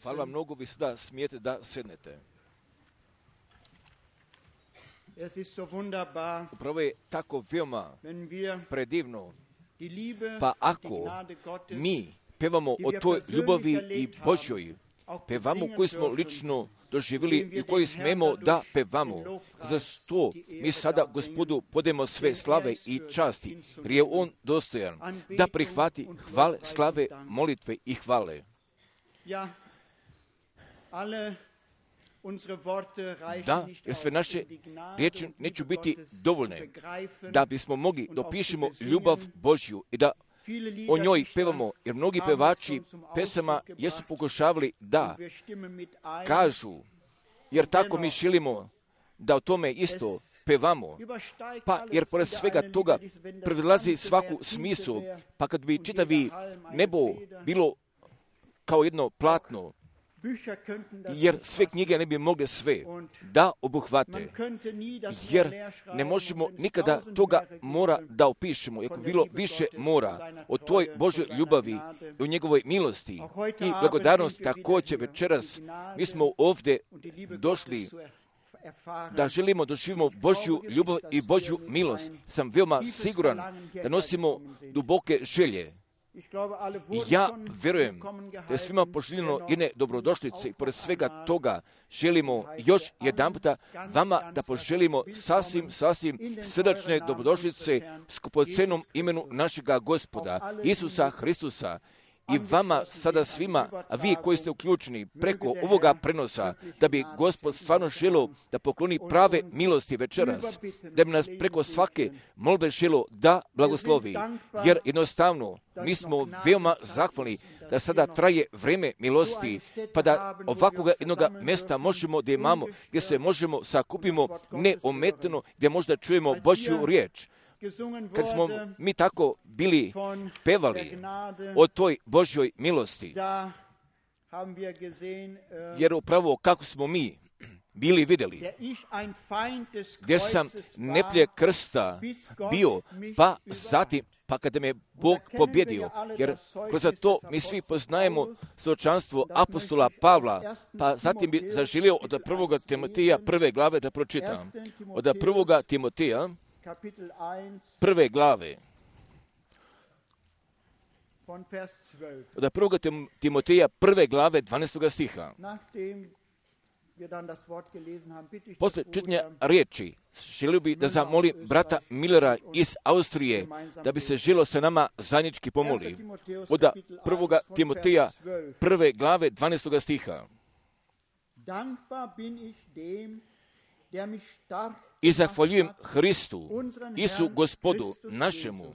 Hvala vam mnogo, vi sada smijete da sednete. Upravo je tako veoma predivno, pa ako mi pevamo o toj ljubavi i Božjoj, pevamo koju smo lično doživjeli i koju smemo da pevamo. Zato mi sada Gospodu podajemo sve slave i časti, jer je On dostojan da prihvati hvale, slave, molitve i hvale. Da, jer sve naše riječi neće biti dovoljne da bismo mogli dopišemo ljubav Božju i da o njoj pevamo, jer mnogi pevači pesama jesu pokušavali da kažu, jer tako mi želimo da o tome isto pevamo, pa jer pored svega toga prelazi svaku smislu, pa kad bi čitavi nebo bilo kao jedno platno, jer sve knjige ne bi mogle sve da obuhvate, jer ne možemo nikada toga mora da opišemo, ako bilo više mora o toj Božoj ljubavi i o njegovoj milosti i blagodarnosti. Također večeras mi smo ovdje došli da želimo doživimo Božju ljubav i Božju milost. Sam veoma siguran da nosimo duboke želje. I ja vjerujem da je svima poželjeno jedne dobrodošlice i pored svega toga želimo još jedanputa vama da poželimo sasvim srdačne dobrodošlice skupocenom imenu našega Gospoda Isusa Hristusa. I vama sada svima, a vi koji ste uključeni preko ovoga prenosa, da bi Gospod stvarno želio da pokloni prave milosti večeras, da bi nas preko svake molbe želio da blagoslovi. Jer jednostavno mi smo veoma zahvalni da sada traje vrijeme milosti, pa da ovakvog jednog mjesta možemo da imamo, gdje se možemo sakupimo neometano, gdje možda čujemo Božju riječ. Kad smo mi tako bili pevali o toj Božjoj milosti, jer upravo kako smo mi bili vidjeli, gdje sam neprijatelj krsta bio, pa zatim, pa kada me Bog pobjedio, jer kroz to mi svi poznajemo svjedočanstvo apostola Pavla, pa zatim bi zaželio od 1. Timoteja 1. glave da pročitam. Od 1. Timoteja 1. glave. Od 1. Timoteja 1. glave 12. stiha. Posle čitanja riječi želio bi da zamolim brata Millera iz Austrije da bi se želio sa nama zajednički pomoli. Od 1. Timoteja 1. glave 12. stiha. I zahvaljujem Hristu, Isu Gospodu našemu,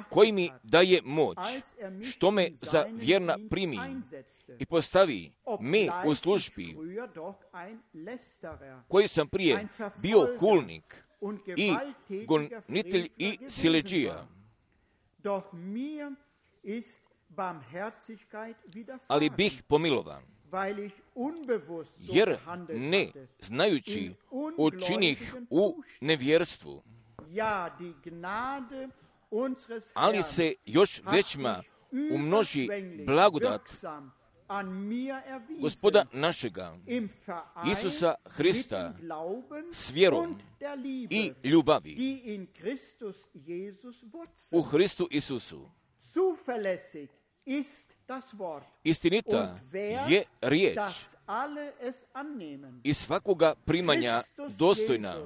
koji mi daje moć, što me za vjerna primi i postavi me u službi, koji sam prije bio hulnik i gonitelj i siledžija. Ali bih pomilovan, jer ne znajući učinih u nevjerstvu, ali se još većma umnoži blagodat Gospoda našega, Isusa Hrista, s vjerom i ljubavi u Hristu Isusu. Istinita je riječ i svakoga primanja dostojna,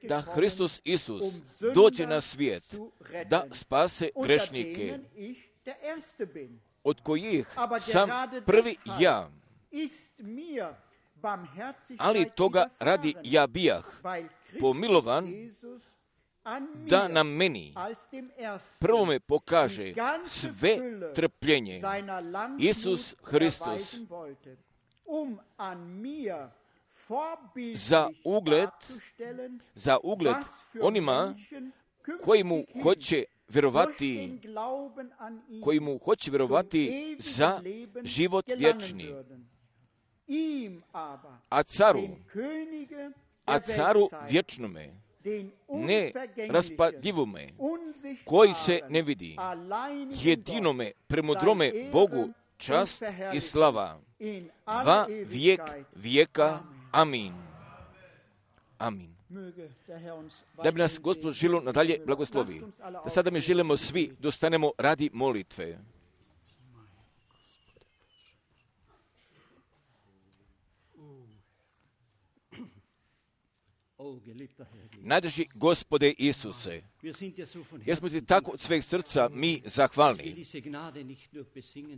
da Hristos Isus dođe na svijet, da spase grešnike, od kojih sam prvi ja. Ali toga radi ja bijah pomilovan, da nam meni prvome pokaže sve trpljenje Isus Hristos za ugled onima koji mu hoće vjerovati za život vječni. A caru vječnome, neraspadljivome, koji se ne vidi, jedinome, premudrome Bogu, čast i slava, va vijek vijeka. Amin. Amin. Da bi nas Gospod žilo nadalje blagoslovi. Da sada mi želimo svi dostanemo radi molitve. Najdraži Gospode Isuse, jer smo ti tako od sveg srca mi zahvalni.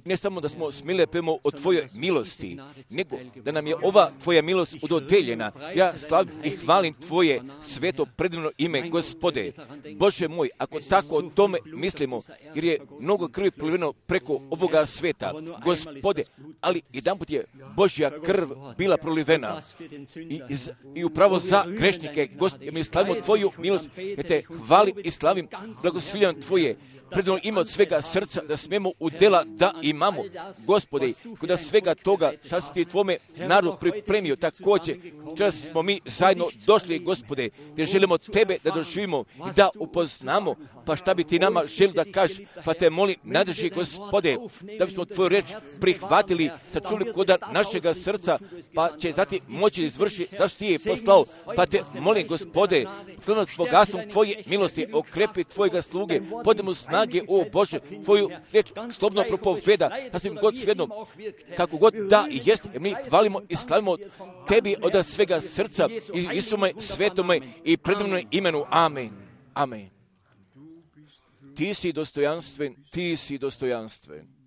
Ne samo da smo smile pemo o Tvojoj milosti, nego da nam je ova Tvoja milost udodeljena. Ja slavim i hvalim Tvoje sveto predivno ime, Gospode. Bože moj, ako tako o tome mislimo, jer je mnogo krvi proliveno preko ovoga sveta, Gospode, ali jedanput je Božja krv bila prolivena i upravo za grešnike, Gospode, mi slavimo Tvoju milost, jer te hvalim i slavim, blagoslovljam Tvoje predivno ime od svega srca, da smemo u dela da imamo, Gospode, kod svega toga šta si ti Tvome narodu pripremio, također, čas smo mi zajedno došli, Gospode, gdje želimo Tebe da doživimo i da upoznamo, pa šta bi Ti nama želio da kažeš, pa te molim, nadrži, Gospode, da bismo Tvoju reč prihvatili, sačuli koda našega srca, pa će zatim moći izvršiti, zašto Ti je poslao, pa te molim, Gospode, slobodno s bogatstvom Tvoje milosti, okrepi Tvojega sluge, podemo snage, o Bože, Tvoju reč slobodno propoveda, da svim god svednom, kako god da i jest, jer mi hvalimo i slavimo Tebi od svega srca, i Isume, svetome i predivnom imenu. Amen. Amen. Ti si dostojanstven, Ti si dostojanstven.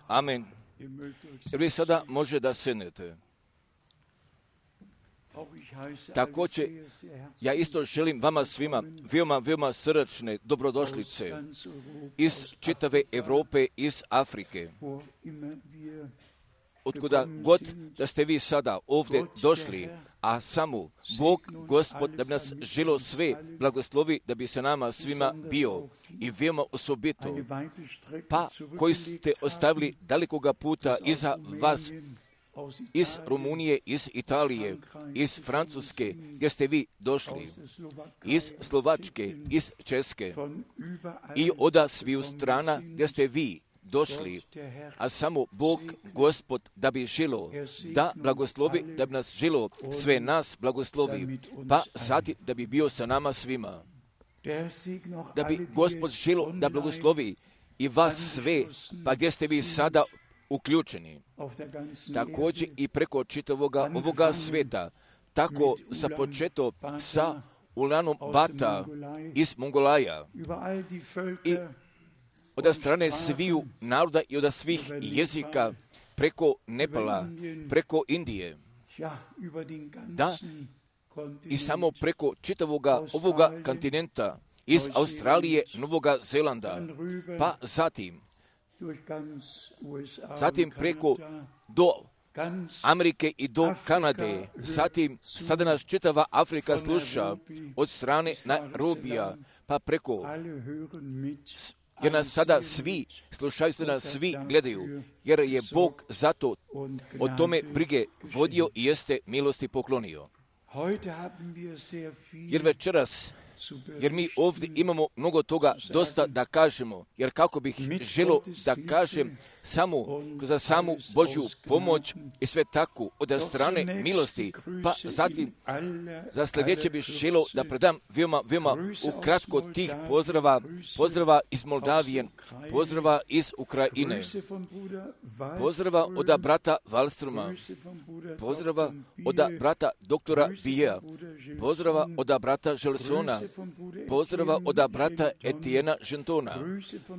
Amen. Jer vi sada može da sednete. Također, ja isto želim vama svima veoma srdačne dobrodošlice iz čitave Europe, iz Afrike. Otkuda god da ste vi sada ovdje došli, a samo Bog, Gospod, da bi nas želo sve blagoslovi, da bi se nama svima bio i veoma osobito, pa koji ste ostavili dalekoga puta iza vas, iz Rumunije, iz Italije, iz Francuske, gdje ste vi došli, iz Slovačke, iz Česke i oda sviju strana gdje ste vi došli, a samo Bog, Gospod, da bi želo, da blagoslovi, da bi nas želo, sve nas blagoslovi, pa zatim da bi bio sa nama svima. Da bi Gospod želo da blagoslovi i vas sve, pa gdje ste vi sada uključeni. Također i preko čitavoga ovoga sveta, tako započeto sa Ulanom Bata iz Mongolaja i od strane sviju naroda i od svih jezika, preko Nepala, preko Indije, da, i samo preko čitavoga ovoga kontinenta, iz Australije, Novoga Zelanda, pa zatim preko do Amerike i do Kanade, zatim sada nas čitava Afrika sluša od strane Nairobija, pa preko, jer nas sada svi slušaju, sada nas svi gledaju, jer je Bog zato o tome brige vodio i jeste milosti poklonio. Jer večeras, jer mi ovdje imamo mnogo toga dosta da kažemo, jer kako bih želo da kažem, za samu Božju pomoć i sve tako od strane milosti. Pa zatim, za sljedeće bih želio da predam veoma ukratko tih pozdrava iz Moldavije, pozdrava iz Ukrajine, pozdrava od brata Wallstroma, pozdrava od brata doktora Bijea, pozdrava od brata Želsona, pozdrava od brata Etiena Žentona,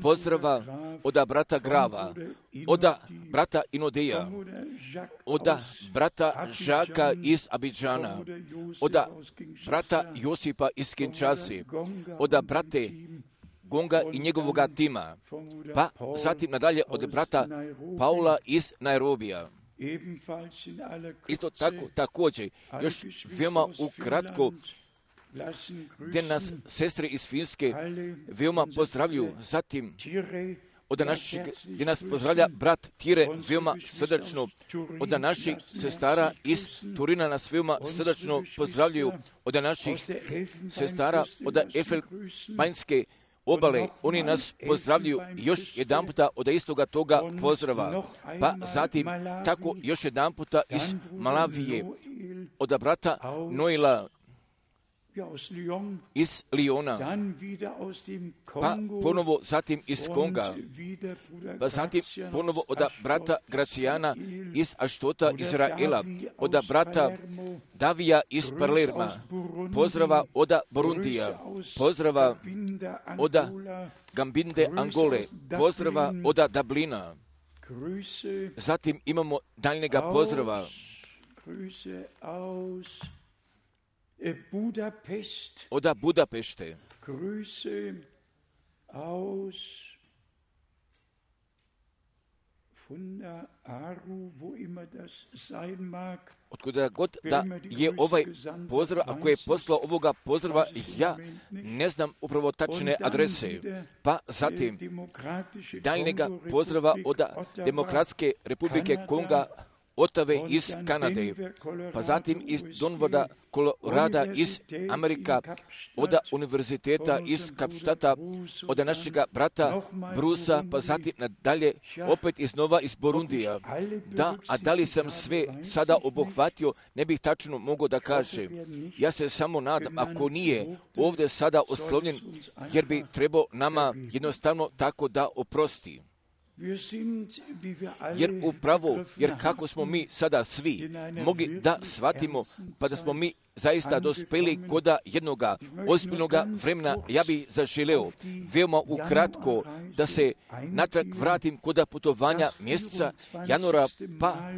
pozdrava od brata Grava, od brata Inodeja, od brata Žaka iz Abidžana, od brata Josipa iz Kinshase, od brate Gonga i njegovoga tima, pa zatim nadalje od brata Paula iz Nairobija. Isto tako, također, još veoma ukratko, gdje nas sestre iz Finske veoma pozdravljuju, zatim gdje nas pozdravlja brat Tire veoma srdačno, od naših sestara iz Turina nas veoma srdačno pozdravljuju, od naših sestara od Elfenbeinske obale, oni nas pozdravljuju još jedan puta od istoga toga pozdrava. Pa zatim tako još jedan puta iz Malavije, od brata Noela iz Liona, pa ponovo zatim iz Konga, pa zatim ponovo od brata Gracijana iz Aštota Izraela, od brata Davija iz Palerma, pozdrava od Burundija, pozdrava od Gambinde Angole, pozdrava od Dublina. Zatim imamo daljnjega pozdrava od Budapešte, otkuda god da je ovaj pozdrav, ako je poslao ovoga pozdrava, ja ne znam upravo tačne adrese. Pa zatim daljnjega pozdrava od Demokratske republike Konga, Otave iz Kanade, pa zatim iz Donvoda, Kolorada iz Amerika, od univerziteta iz Kapštata, od našega brata Brusa, pa zatim nadalje opet iznova iz Burundija. Da li sam sve sada obuhvatio, ne bih tačno mogao da kažem. Ja se samo nadam, ako nije ovdje sada oslovljen, jer bi trebao nama jednostavno tako da oprosti. Jer kako smo mi sada svi mogli da shvatimo, pa da smo mi zaista dospeli koda jednoga ozbiljnoga vremena, ja bih zaželeo veoma ukratko da se natrag vratim koda putovanja mjeseca januara, pa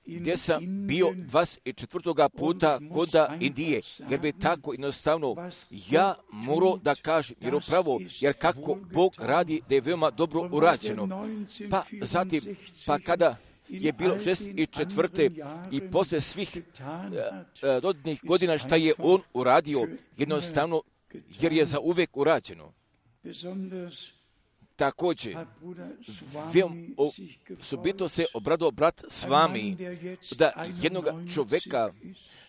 gdje sam bio 24. puta koda Indije, jer bi tako jednostavno ja morao da kažem, jer upravo, jer kako Bog radi da je veoma dobro urađeno. Pa zatim, pa kada je bilo 64. i posle svih dodatnih godina šta je On uradio, jednostavno, jer je za uvek urađeno. Također, osobito se obradao brat s vami, da jednog čovjeka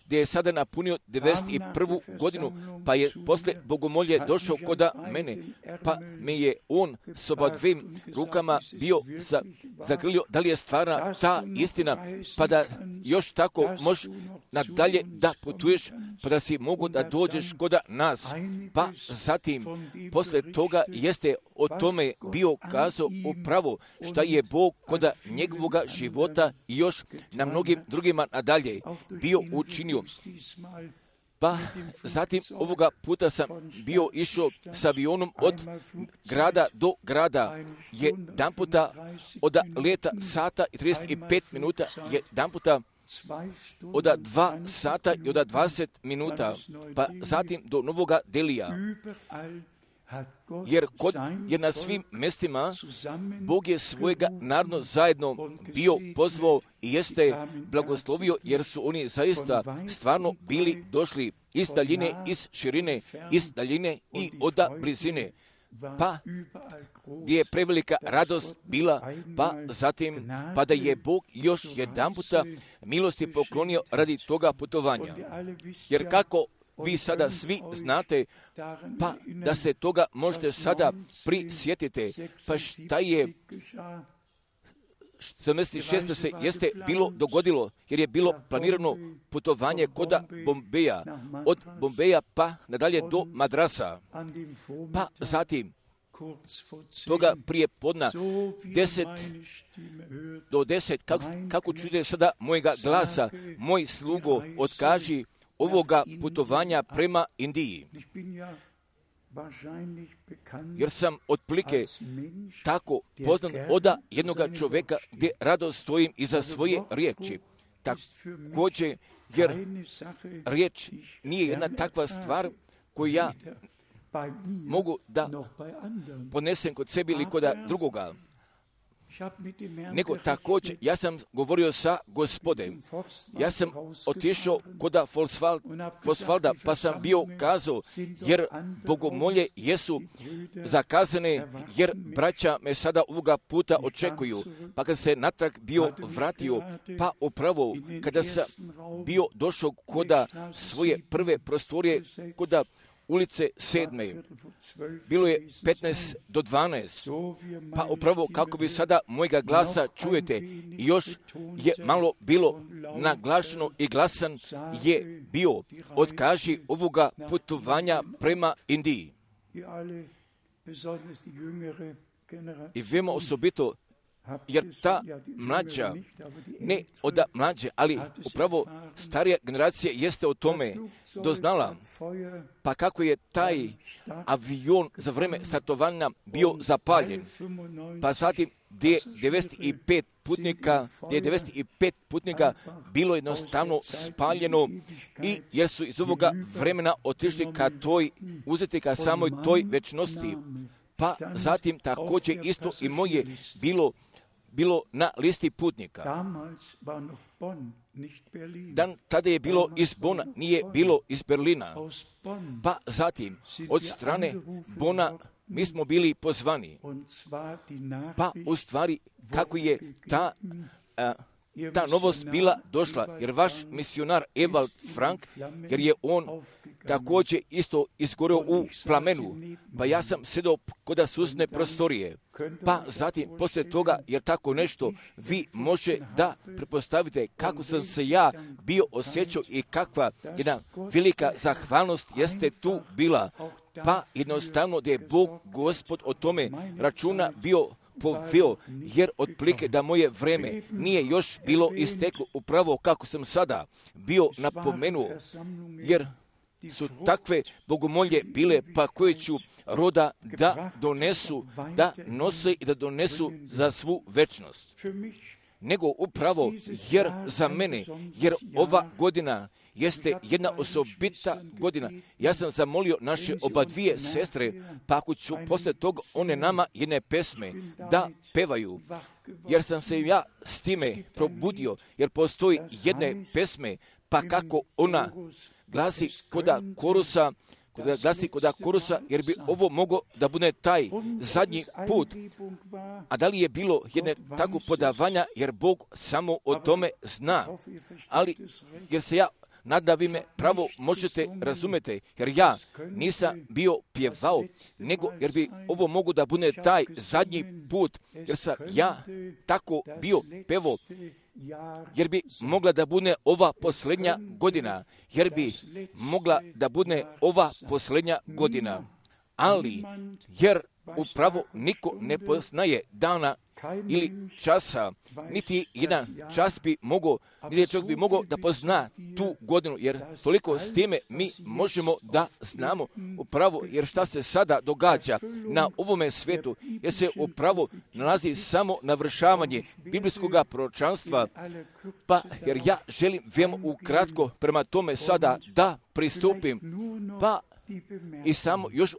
gdje je sada napunio 91. godinu, pa je posle bogomolje došao koda mene, pa me je on s oba dvim rukama bio zagrlio, da li je stvarna ta istina, pa da još tako možeš nadalje da putuješ, pa da si mogu da dođeš koda nas. Pa zatim, posle toga jeste o tome bio kazao upravo šta je Bog koda njegovoga života i još na mnogim drugima nadalje bio učinio. Pa zatim ovoga puta sam bio išao s avionom od grada do grada, jedan puta od leta sata i 35 minuta, jedan puta od 2 sata i od 20 minuta, pa zatim do Novoga Delija. Jer na svim mjestima Bog je svojega naroda zajedno bio pozvao i jeste blagoslovio, jer su oni zaista stvarno bili došli iz daljine, iz širine, iz daljine i od blizine. Pa gdje je prevelika radost bila, pa zatim pa da je Bog još jedan puta milosti poklonio radi toga putovanja. Jer kako vi sada svi znate, pa da se toga možete sada prisjetite, pa šta je 76. se jeste bilo dogodilo, jer je bilo planirano putovanje kod Bombeja, od Bombeja pa nadalje do Madrasa, pa zatim toga prije podna 10 kako čujete sada mojega glasa, moj slugo, otkaži ovoga putovanja prema Indiji. Jer sam otprilike tako poznan od jednoga čovjeka gdje rado stojim iza svoje riječi. Također, jer riječ nije jedna takva stvar koju ja mogu da ponesem kod sebi ili kod drugoga. Nego također, ja sam govorio sa Gospodem. Ja sam otišao kod Fosvalda, pa sam bio kazao, jer bogomolje jesu zakazane, jer braća me sada ovoga puta očekuju. Pa kad se natrag bio vratio, pa upravo kada sam bio došao kod svoje prve prostorije, kod ulice 7. Bilo je 15 do 12. Pa upravo kako vi sada mojega glasa čujete, i još je malo bilo naglašeno i glasan je bio, otkaži ovoga putovanja prema Indiji. I vemo osobito, jer ta mlađa, ne od mlađe, ali upravo starija generacija jeste o tome doznala, pa kako je taj avion za vreme startovanja bio zapaljen, pa zatim gdje je 95 putnika bilo jednostavno spaljeno, i jer su iz ovoga vremena otišli ka toj, uzeti ka samoj toj večnosti. Pa zatim također isto i moje bilo na listi putnika. Tada je bilo iz Bona, nije bilo iz Berlina. Pa zatim od strane Bona mi smo bili pozvani. Pa u stvari kako je ta novost bila došla, jer vaš misionar Ewald Frank, jer je on također isto izgoreo u plamenu, pa ja sam sedao kod susjedne prostorije. Pa zatim, poslije toga, jer tako nešto, vi može da pretpostavite kako sam se ja bio osjećao i kakva jedna velika zahvalnost jeste tu bila. Pa jednostavno da je Bog Gospod o tome računa bio poveo, jer otprilike da moje vreme nije još bilo isteklo upravo kako sam sada bio napomenuo, jer su takve bogomolje bile, pa koje ću roda da donesu, da nose i da donesu za svu večnost. Nego upravo, jer za mene, jer ova godina jeste jedna osobita godina. Ja sam zamolio naše oba dvije sestre, pa ako ću poslije toga one nama jedne pesme da pevaju, jer sam se ja s time probudio, jer postoji jedne pesme, pa kako ona glasi koda korusa, jer bi ovo moglo da bude taj zadnji put. A da li je bilo jedne tako podavanja, jer Bog samo o tome zna. Ali, jer se ja nadam vi me pravo možete razumjeti, jer ja nisam bio pjevao, nego jer bi ovo mogu da bude taj zadnji put, jer sam ja tako bio pevao, jer bi mogla da bude ova posljednja godina, jer bi mogla da bude ova posljednja godina. Ali, jer upravo niko ne poznaje dana ili časa, niti jedan čas bi mogao, niti čovjek bi mogao da pozna tu godinu, jer toliko s time mi možemo da znamo upravo, jer šta se sada događa na ovome svijetu, jer se upravo nalazi samo navršavanje biblijskog proročanstva, pa jer ja želim veoma ukratko prema tome sada da pristupim, pa i samo još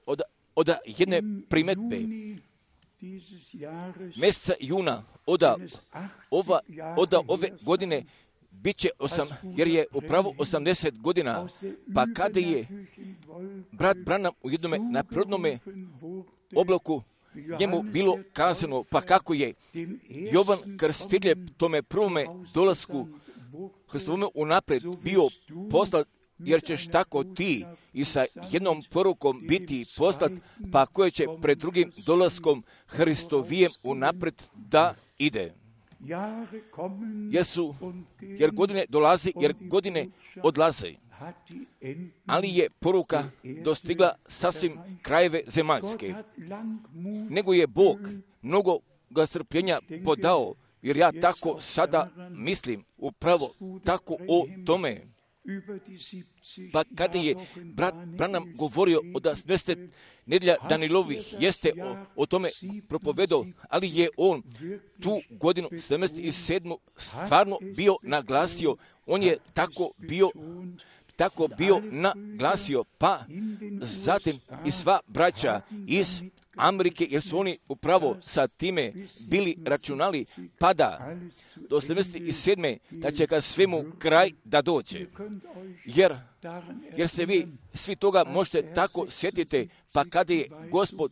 od jedne primetbe. Mjeseca juna od ove godine bit će jer je upravo 80 godina, pa kada je brat Branham u jednome naprodnome oblaku njemu bilo kazano, pa kako je Jovan Krstitelj tome prvome dolasku Hristovome unaprijed bio poslat, jer ćeš tako ti i sa jednom porukom biti poslat, pa koje će pred drugim dolaskom Hristovijem unaprijed da ide. jer godine dolaze, jer godine odlaze. Ali je poruka dostigla sasvim krajeve zemaljske. Nego je Bog mnogo ga strpljenja podao, jer ja tako sada mislim, upravo tako o tome. Pa kada je brat Branham govorio o 70 nedjelja Danilovih, jeste o tome propovedao, ali je on tu godinu 77. stvarno bio naglasio, on je tako bio naglasio, pa zatim i sva braća iz Amerike, jer su oni upravo sa time bili računali, pa da do 77. da će ka svemu kraj da dođe. Jer se vi svi toga možete tako sjetiti, pa kada je Gospod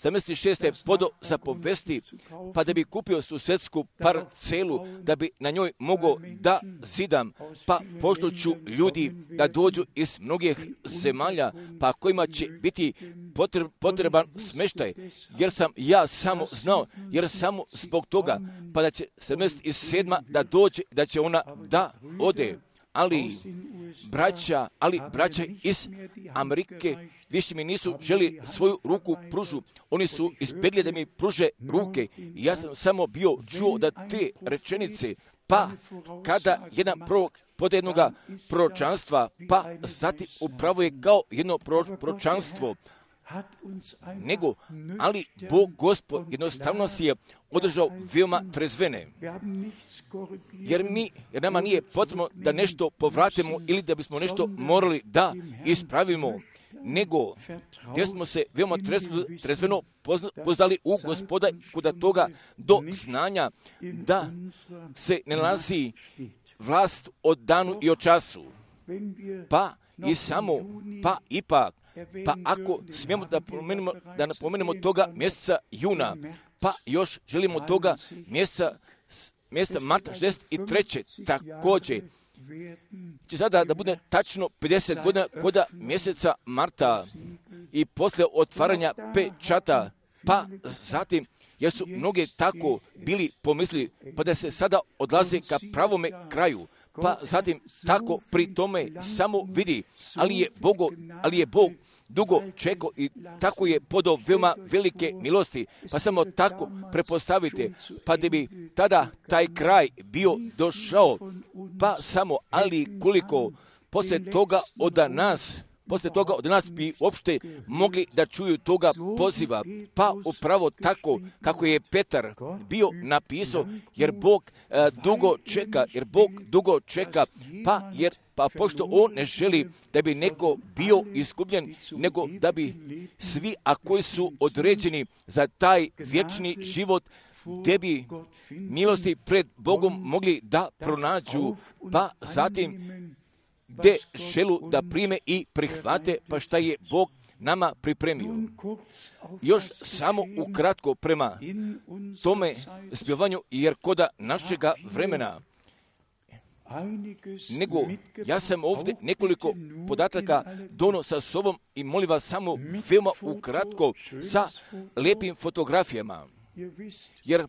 76. podo zapovesti, pa da bi kupio susedsku parcelu, da bi na njoj mogao da zidam, pa pošto ću ljudi da dođu iz mnogih zemalja, pa kojima će biti potreban smještaj, jer sam ja samo znao, jer samo zbog toga, pa da će 77. da dođe, da će ona da ode. Ali braća iz Amerike više mi nisu želi svoju ruku pružu. Oni su izbjegli da mi pruže ruke. I ja sam samo bio čuo da te rečenice, pa kada jedan prorok pod jednoga proročanstva, pa zatim upravo je kao jedno proročanstvo, ali Bog Gospod jednostavno si je održao veoma trezvene. Jer nama nije potrebno da nešto povratimo ili da bismo nešto morali da ispravimo, nego gdje smo se veoma trezveno poznali u Gospoda kod toga do znanja da se ne nalazi vlast od danu i od času. Pa i samo, pa ipak, pa ako smijemo da napomenemo toga mjeseca juna, pa još želimo toga mjeseca marta 63. također, će sada da bude tačno 50 godina kod mjeseca marta i poslije otvaranja pečata, pa zatim, jer su mnoge tako bili pomislili, pa da se sada odlaze ka pravome kraju, pa zatim tako pri tome samo vidi, ali je Bog dugo čekao i tako je podao veoma velike milosti, pa samo tako prepostavite, pa da bi tada taj kraj bio došao, pa samo, ali koliko poslije toga od nas bi uopšte mogli da čuju toga poziva, pa upravo tako kako je Petar bio napisao, jer Bog dugo čeka, pa pošto on ne želi da bi neko bio izgubljen, nego da bi svi, a koji su određeni za taj vječni život, gdje bi milosti pred Bogom mogli da pronađu, pa zatim gdje želu da prime i prihvate, pa šta je Bog nama pripremio. Još samo ukratko prema tome zbivanju, jer koda našega vremena, nego ja sam ovdje nekoliko podataka dono sa sobom i molim vas samo veoma ukratko sa lijepim fotografijama. Jer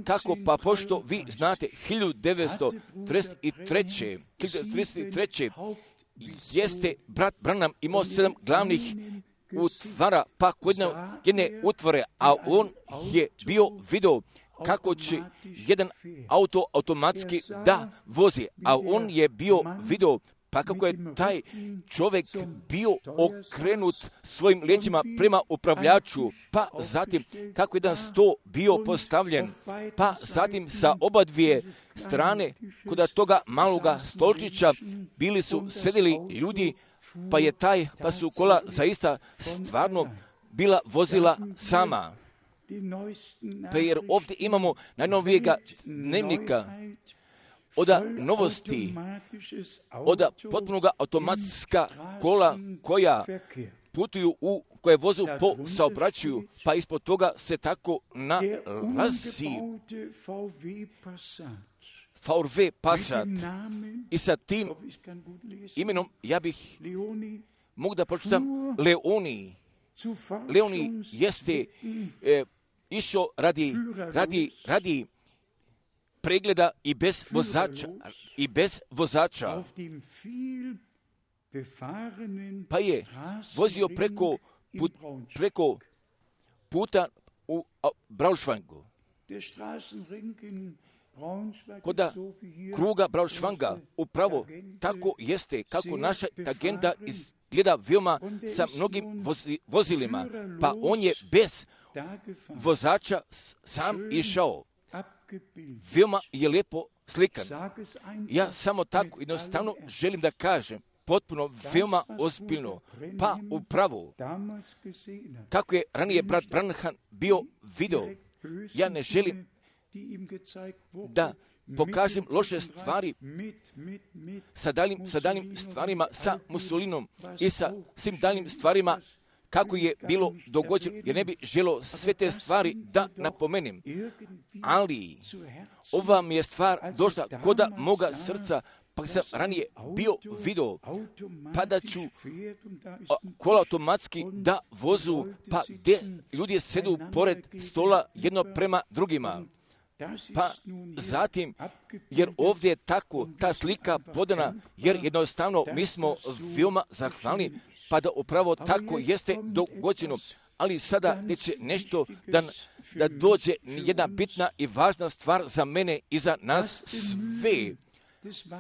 kako, pa pošto vi znate 1933. jeste brat Branham imao 7 glavnih utvara, pa kod jedne utvore, a on je bio video kako će jedan auto automatski da vozi, a on je bio video pa kako je taj čovjek bio okrenut svojim leđima prema upravljaču, pa zatim kako jedan sto bio postavljen, pa zatim sa oba dvije strane kod toga maloga stolčića bili su sedeli ljudi, pa su kola zaista stvarno bila vozila sama. Pa jer ovdje imamo najnovijega dnevnika, oda novosti, oda potpunoga automatska kola koja putuju koje vozu po saobraćaju, pa ispod toga se tako nalazi VW Passat. I sa tim imenom ja bih mogu da pročitam Leoni. Leoni jeste išao radi pregleda i bez vozača. Pa je vozio preko puta u Braunschweigu. Kod kruga Braunschweiga upravo tako jeste kako naša agenda izgleda veoma sa mnogim vozilima, pa on je bez vozača sam išao. Veoma je lijepo slikan. Ja samo tako jednostavno želim da kažem, potpuno veoma ozbiljno, pa upravo, kako je ranije brat Branham bio video, ja ne želim da pokažem loše stvari sa daljim stvarima, sa Mussolinom i sa svim daljim stvarima, kako je bilo dogođeno, jer ne bi želio sve te stvari da napomenem. Ali ova mi je stvar došla koda moga srca, pa sam ranije bio video, pa da ću kola automatski da vozu, pa gdje ljudi sedu pored stola jedno prema drugima. Pa zatim, jer ovdje je tako ta slika podana, jer jednostavno mi smo veoma zahvalni, pa da upravo tako jeste dogođeno. Ali sada neće nešto da dođe jedna bitna i važna stvar za mene i za nas sve.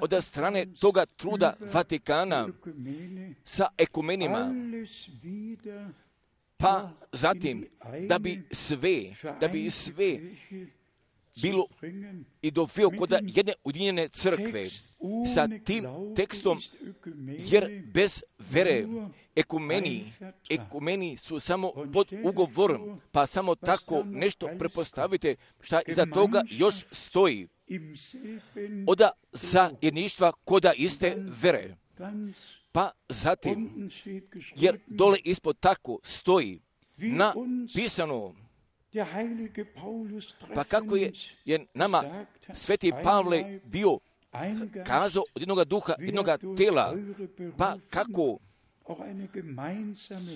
Od strane toga truda Vatikana sa ekumenima, pa zatim da bi sve bilo i doveo kod jedne ujedinjene crkve sa tim tekstom, jer bez vere ekumeni su samo pod ugovorom, pa samo tako nešto prepostavite šta iza toga još stoji. Oda zajedništva koda iste vere. Pa zatim, jer dole ispod tako stoji napisano, pa kako je nama Sveti Pavle bio kazao od jednoga duha, jednoga tela, pa kako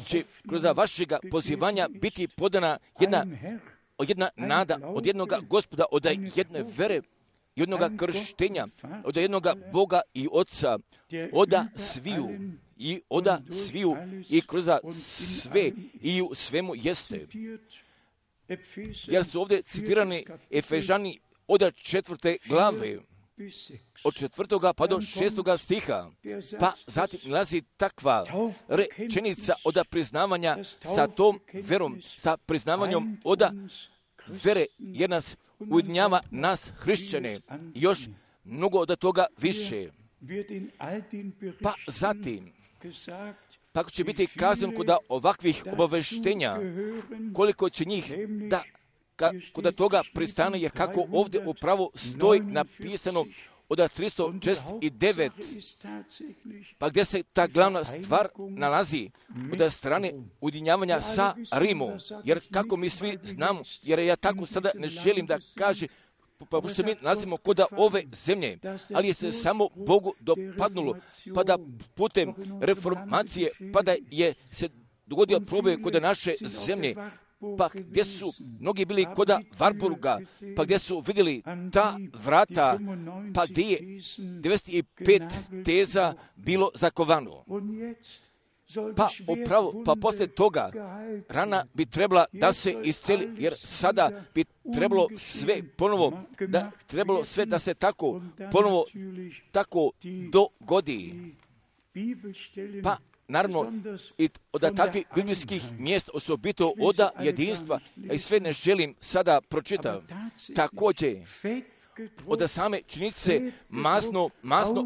će kroz vašega pozivanja biti podana jedna nada od jednoga Gospoda, od jedne vere, jednoga krštenja, od jednoga Boga i Otca, oda sviju i kroz sve i u svemu jeste. Jer su ovdje citirani Efežani od 4. glave, od 4. pa do 6. stiha, pa zatim nalazi takva rečenica od priznavanja sa tom verom, sa priznavanjem od vere, jer nas ujedinjava nas hrišćane, još mnogo od toga više. Pa zatim, tako će biti kazano kod ovakvih obaveštenja, koliko će njih da kod toga pristane, jer kako ovdje upravo stoji napisano od 369, pa gdje se ta glavna stvar nalazi od strane ujedinjavanja sa Rimom, jer kako mi svi znamo, jer ja tako sada ne želim da kaže, pa što mi nalazimo kod ove zemlje, ali je se samo Bogu dopadnulo, pa da putem reformacije, pa da je se dogodio proboj kod naše zemlje, pa gdje su mnogi bili kod Warburga, pa gdje su vidjeli ta vrata, pa gdje je 95 teza bilo zakovano. Pa upravo, pa poslije toga rana bi trebala da se isceli, jer sada bi trebalo sve ponovo, da se tako ponovo tako dogodi. Pa naravno, i od takvih biblijskih mjesta, osobito od jedinstva, i sve ne želim sada pročitati. Također, od same činjenice masno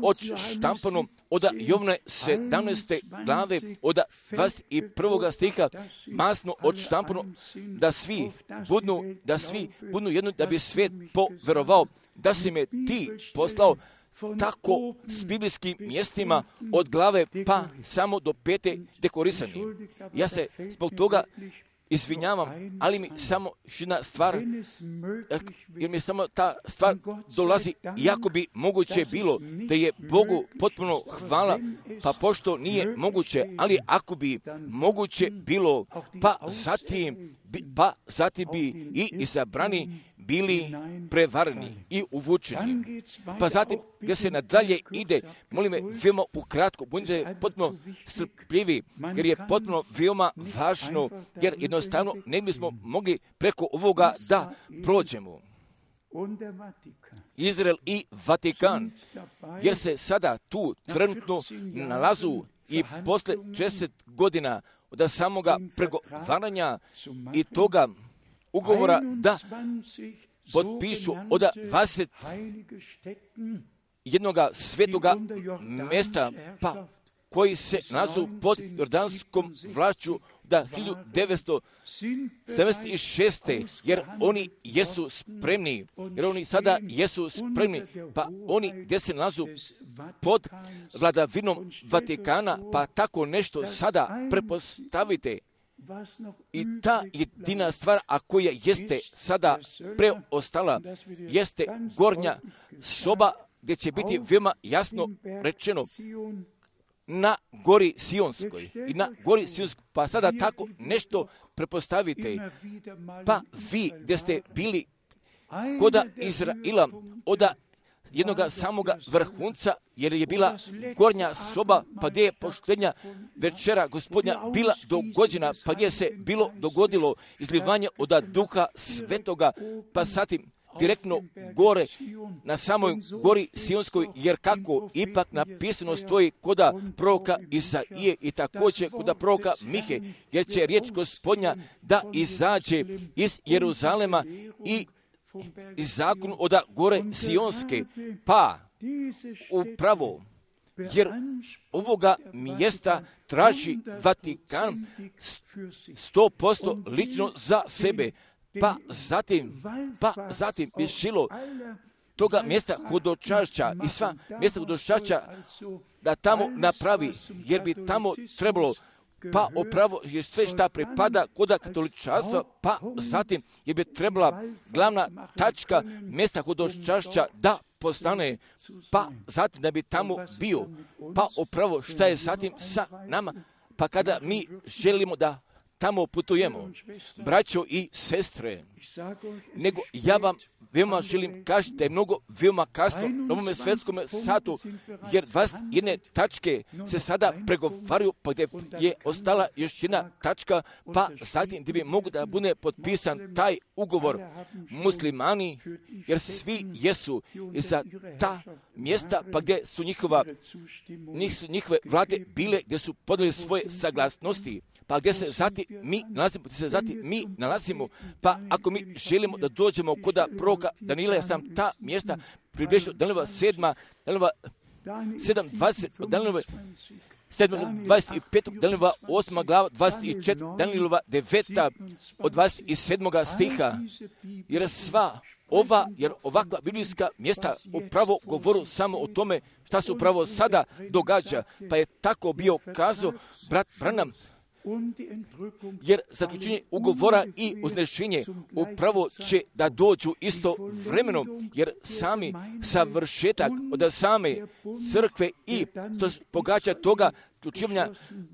odštampano od Jovne 17. glave, od 21. stiha, masno odštampano, da svi budnu jedno, da bi svijet poverovao, da si me ti poslao, tako s biblijskim mjestima od glave pa samo do 5. dekorisani. Ja se zbog toga izvinjavam, ali mi samo jedna stvar, jer mi samo ta stvar dolazi, iako bi moguće bilo da je Bogu potpuno hvala, pa pošto nije moguće, ali ako bi moguće bilo, pa zatim bi i izabrani bili prevareni i uvučeni. Pa zatim, gdje se nadalje ide, molim me, veoma ukratko, budite potpuno strpljivi, jer je potpuno veoma važno, jer jednostavno ne bismo mogli preko ovoga da prođemo. Izrael i Vatikan, jer se sada tu trenutno nalazu i posle 10 godina od samoga pregovaranja i toga ugovora da potpišu od 20 jednoga svetoga mjesta, pa koji se nalazu pod jordanskom vlašću da 1976. jer oni jesu spremni, jer oni sada jesu spremni, pa oni gdje se nalazu pod vladavinom Vatikana, pa tako nešto sada prepostavite. I ta jedina stvar, a koja jeste sada preostala, jeste gornja soba, gdje će biti veoma jasno rečeno na gori Sionskoj. I na gori Sionskoj, pa sada tako nešto prepostavite. Pa vi gdje ste bili koda Izraila, od jednoga samoga vrhunca, jer je bila gornja soba, pa gdje je poštenja večera Gospodnja bila dogođena, pa gdje se bilo dogodilo izlivanje od Duha Svetoga, pa zatim direktno gore na samoj gori Sionskoj, jer kako ipak napisano stoji koda proroka Izaije i također koda proroka Mihe, jer će riječ Gospodnja da izađe iz Jeruzalema i iz zakonu od gore Sionske, pa upravo, jer ovoga mjesta traži Vatikan 100% lično za sebe, pa zatim je šilo toga mjesta hodočašća i sva mjesta hodočašća da tamo napravi, jer bi tamo trebalo pa upravo je sve šta pripada koda katoličanstva, pa zatim je bi trebala glavna tačka mjesta hodočašća da postane, pa zatim da bi tamo bio, pa upravo šta je zatim sa nama, pa kada mi želimo da tamo putujemo, braćo i sestre, nego ja vam veoma želim kaži da je mnogo veoma kasno na ovome svetskom satu, jer 21 tačke se sada pregovaraju, pa gdje je ostala još jedna tačka, pa zatim gdje bi mogu da bude potpisan taj ugovor muslimani, jer svi jesu za ta mjesta, pa gdje su njihove vlade bile, gdje su podali svoje saglasnosti, pa gdje se zatim mi nalazimo, pa ako mi želimo da dođemo koda proroka Danila, ja sam ta mjesta približio Danilova 7, Danilova 7:20, Danilova 7:25, Danilova 8 glava 24, Danilova 9 od 27 stiha, jer ovakva biblijska mjesta upravo govoru samo o tome šta se upravo sada događa, pa je tako bio kazao brat Branham, jer zaključenje ugovora i uznešenje upravo će da dođu isto vremeno, jer sami savršetak od same crkve i to pogađa toga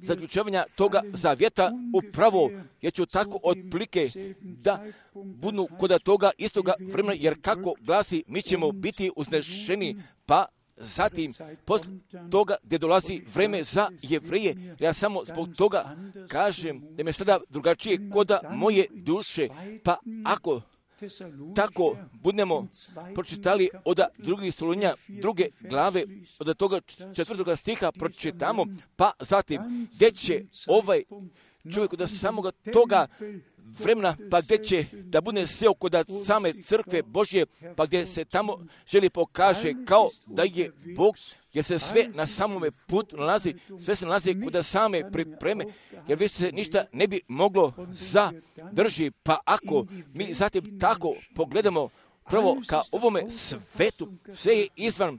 zaključivanja toga zavjeta upravo, jer ću tako otplike da budu kod toga istoga vremena, jer kako glasi, mi ćemo biti uznešeni, pa zatim, posle toga gdje dolazi vreme za Jevreje, ja samo zbog toga kažem da me sada drugačije koda moje duše, pa ako tako budemo pročitali od 2. Solunja 2. glave, od toga 4. stiha pročitamo, pa zatim gdje će ovaj čovjek od samoga toga vremena, pa gdje će da bude seo kod same crkve Božje, pa gdje se tamo želi pokaže kao da je Bog, jer se sve na samome putu nalazi, sve se nalazi kod same pripreme, jer više se ništa ne bi moglo zadrži, pa ako mi zatim tako pogledamo prvo ka ovome svetu, sve je izvan,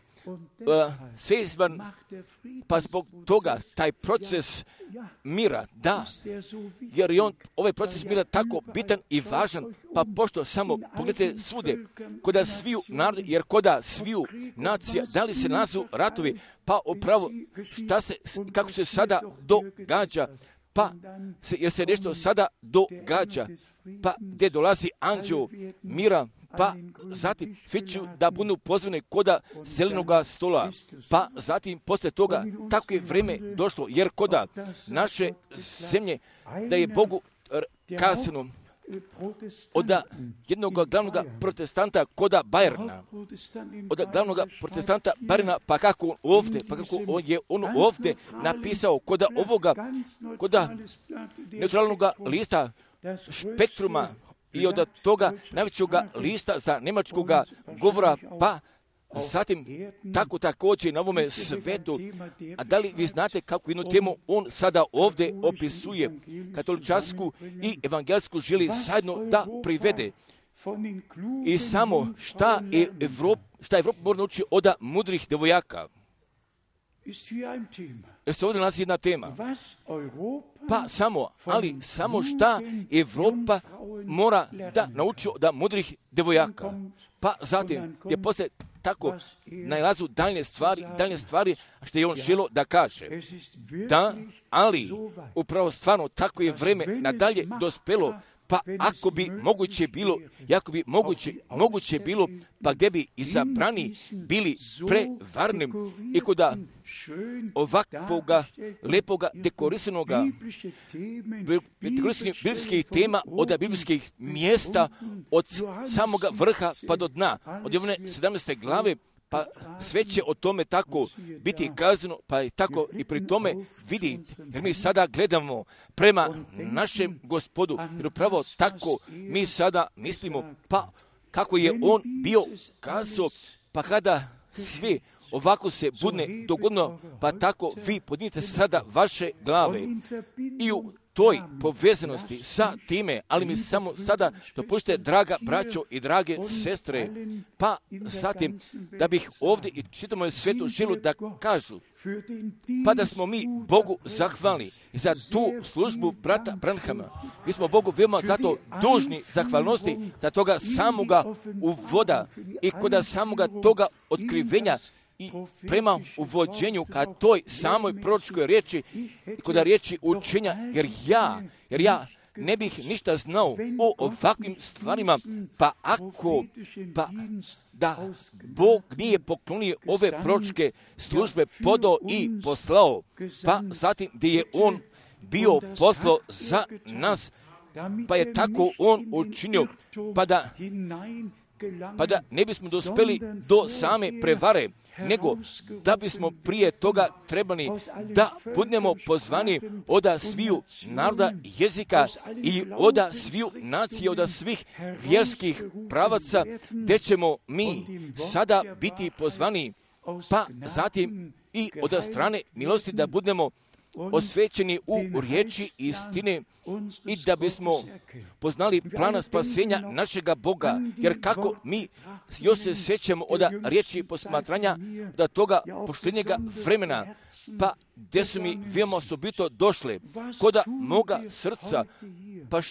pa zbog toga taj proces mira, da, jer je ovaj proces mira tako bitan i važan, pa pošto samo pogledajte svugdje, koda sviju narod, jer koda sviju nacija, da li se nalazu ratovi, pa upravo kako se sada događa, pa jer se nešto sada događa, pa gdje dolazi anđeo mira, pa zatim svi će da budu pozvani koda zelenoga stola, pa zatim poslije toga tako je vrijeme došlo, jer koda naše zemlje da je Bogu kazano od jednog glavnog protestanta koda Bajerna, od glavnog protestanta Bajerna, pa kako on ovdje napisao koda ovoga, koda neutralnog lista Spektruma i od toga najvećeg lista za njemačkog govora, pa zatim tako također na ovome svetu. A da li vi znate kako jednu temu on sada ovdje opisuje, katoličansku i evangelsku želi zajedno da privede. I samo šta Evropa mora naučiti od mudrih devojaka. Jer se ovdje nalazi jedna tema. Pa samo šta Evropa mora da nauči od mudrih devojaka. Pa zatim je poslije tako najlazu daljne stvari što je on želo da kaže. Da, ali upravo stvarno tako je vreme nadalje dospelo, pa ako bi moguće bilo, pa gdje bi izabrani bili prevarni i koda ovakvoga lepoga dekorisanoga biblijskih tema od biblijskih mjesta od samoga vrha pa do dna, od one 17. glave, pa sve će o tome tako biti kazano, pa je tako i pri tome vidite, jer mi sada gledamo prema našem Gospodu, jer upravo tako mi sada mislimo, pa kako je on bio kazao, pa kada sve ovako se bude dogodno, pa tako vi podnijete sada vaše glave i u toj povezanosti sa time, ali mi samo sada dopustite, draga braćo i drage sestre, pa zatim da bih ovdje i čitamo svetu želu da kažu, pa da smo mi Bogu zahvalni za tu službu brata Branhama. Mi smo Bogu veoma zato dužni zahvalnosti za toga samoga uvoda i kod samoga toga otkrivenja i prema uvođenju ka toj samoj proročkoj riječi i kod riječi učenja, jer ja ne bih ništa znao o ovakvim stvarima, pa da Bog nije poklonio ove proročke službe podao i poslao, pa zatim gdje je on bio poslao za nas, pa je tako on učinio, pa da ne bismo dospeli do same prevare, nego da bismo prije toga trebali da budemo pozvani od sviju naroda, jezika i od sviju nacije, od svih vjerskih pravaca, gdje ćemo mi sada biti pozvani, pa zatim i od strane milosti da budemo osvećeni u riječi istine i da bismo poznali plana spasenja našega Boga, jer kako mi još se sjećamo od riječi posmatranja da toga poštenjega vremena, pa gdje su mi veoma osobito došle koda moga srca, pa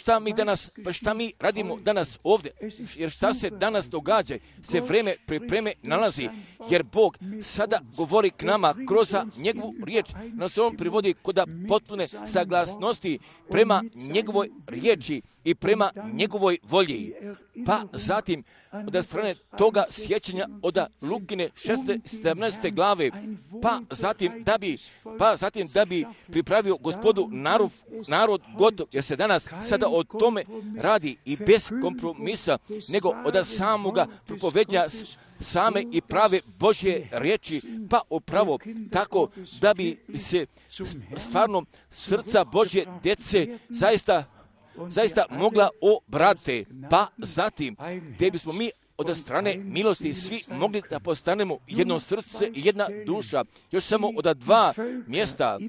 šta mi radimo danas ovdje, jer šta se danas događa, se vreme pripreme nalazi, jer Bog sada govori k nama kroz njegovu riječ, nas on privodi koda potpune saglasnosti prema njegovoj riječi i prema njegovoj volji. Pa zatim od strane toga sjećanja od Lukine 17. glave, pa zatim da bi pripravio Gospodu narod gotov, jer se danas sada o tome radi i bez kompromisa, nego od samoga propovednja same i prave Božje riječi, pa upravo tako da bi se stvarno srca Božje djece zaista mogla obrate, pa zatim gdje bismo mi od strane milosti svi mogli da postanemo jedno srce i jedna duša, još samo od dva mjesta,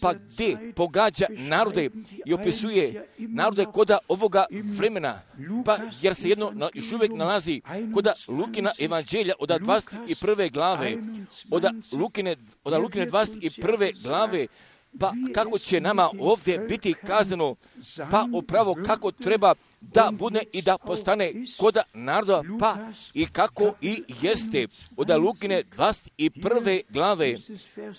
pa gdje pogađa narode i opisuje narode koda ovoga vremena, pa jer se jedno još uvijek nalazi koda Lukina evanđelja od 21. glave, od Lukine 21. glave, pa kako će nama ovdje biti kazano, pa upravo kako treba da bude i da postane koda naroda, pa i kako i jeste. Od Lukine 21. glave,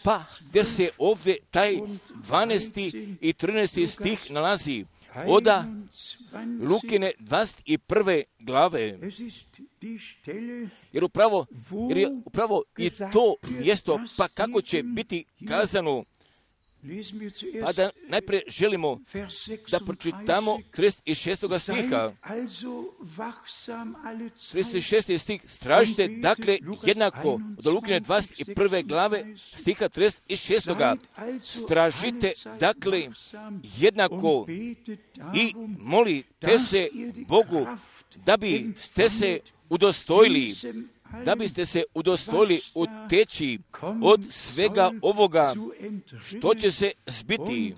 pa gdje se ovdje taj 12. i 13. stih nalazi. Od Lukine 21. glave. Jer je upravo i to mjesto, pa kako će biti kazano. Pa da najprije želimo da pročitamo 36. stiha. 36. stih, stražite dakle jednako, od Lukine 21. glave stiha 36. Stražite dakle jednako i molite se Bogu da biste se udostojili, uteći od svega ovoga što će se zbiti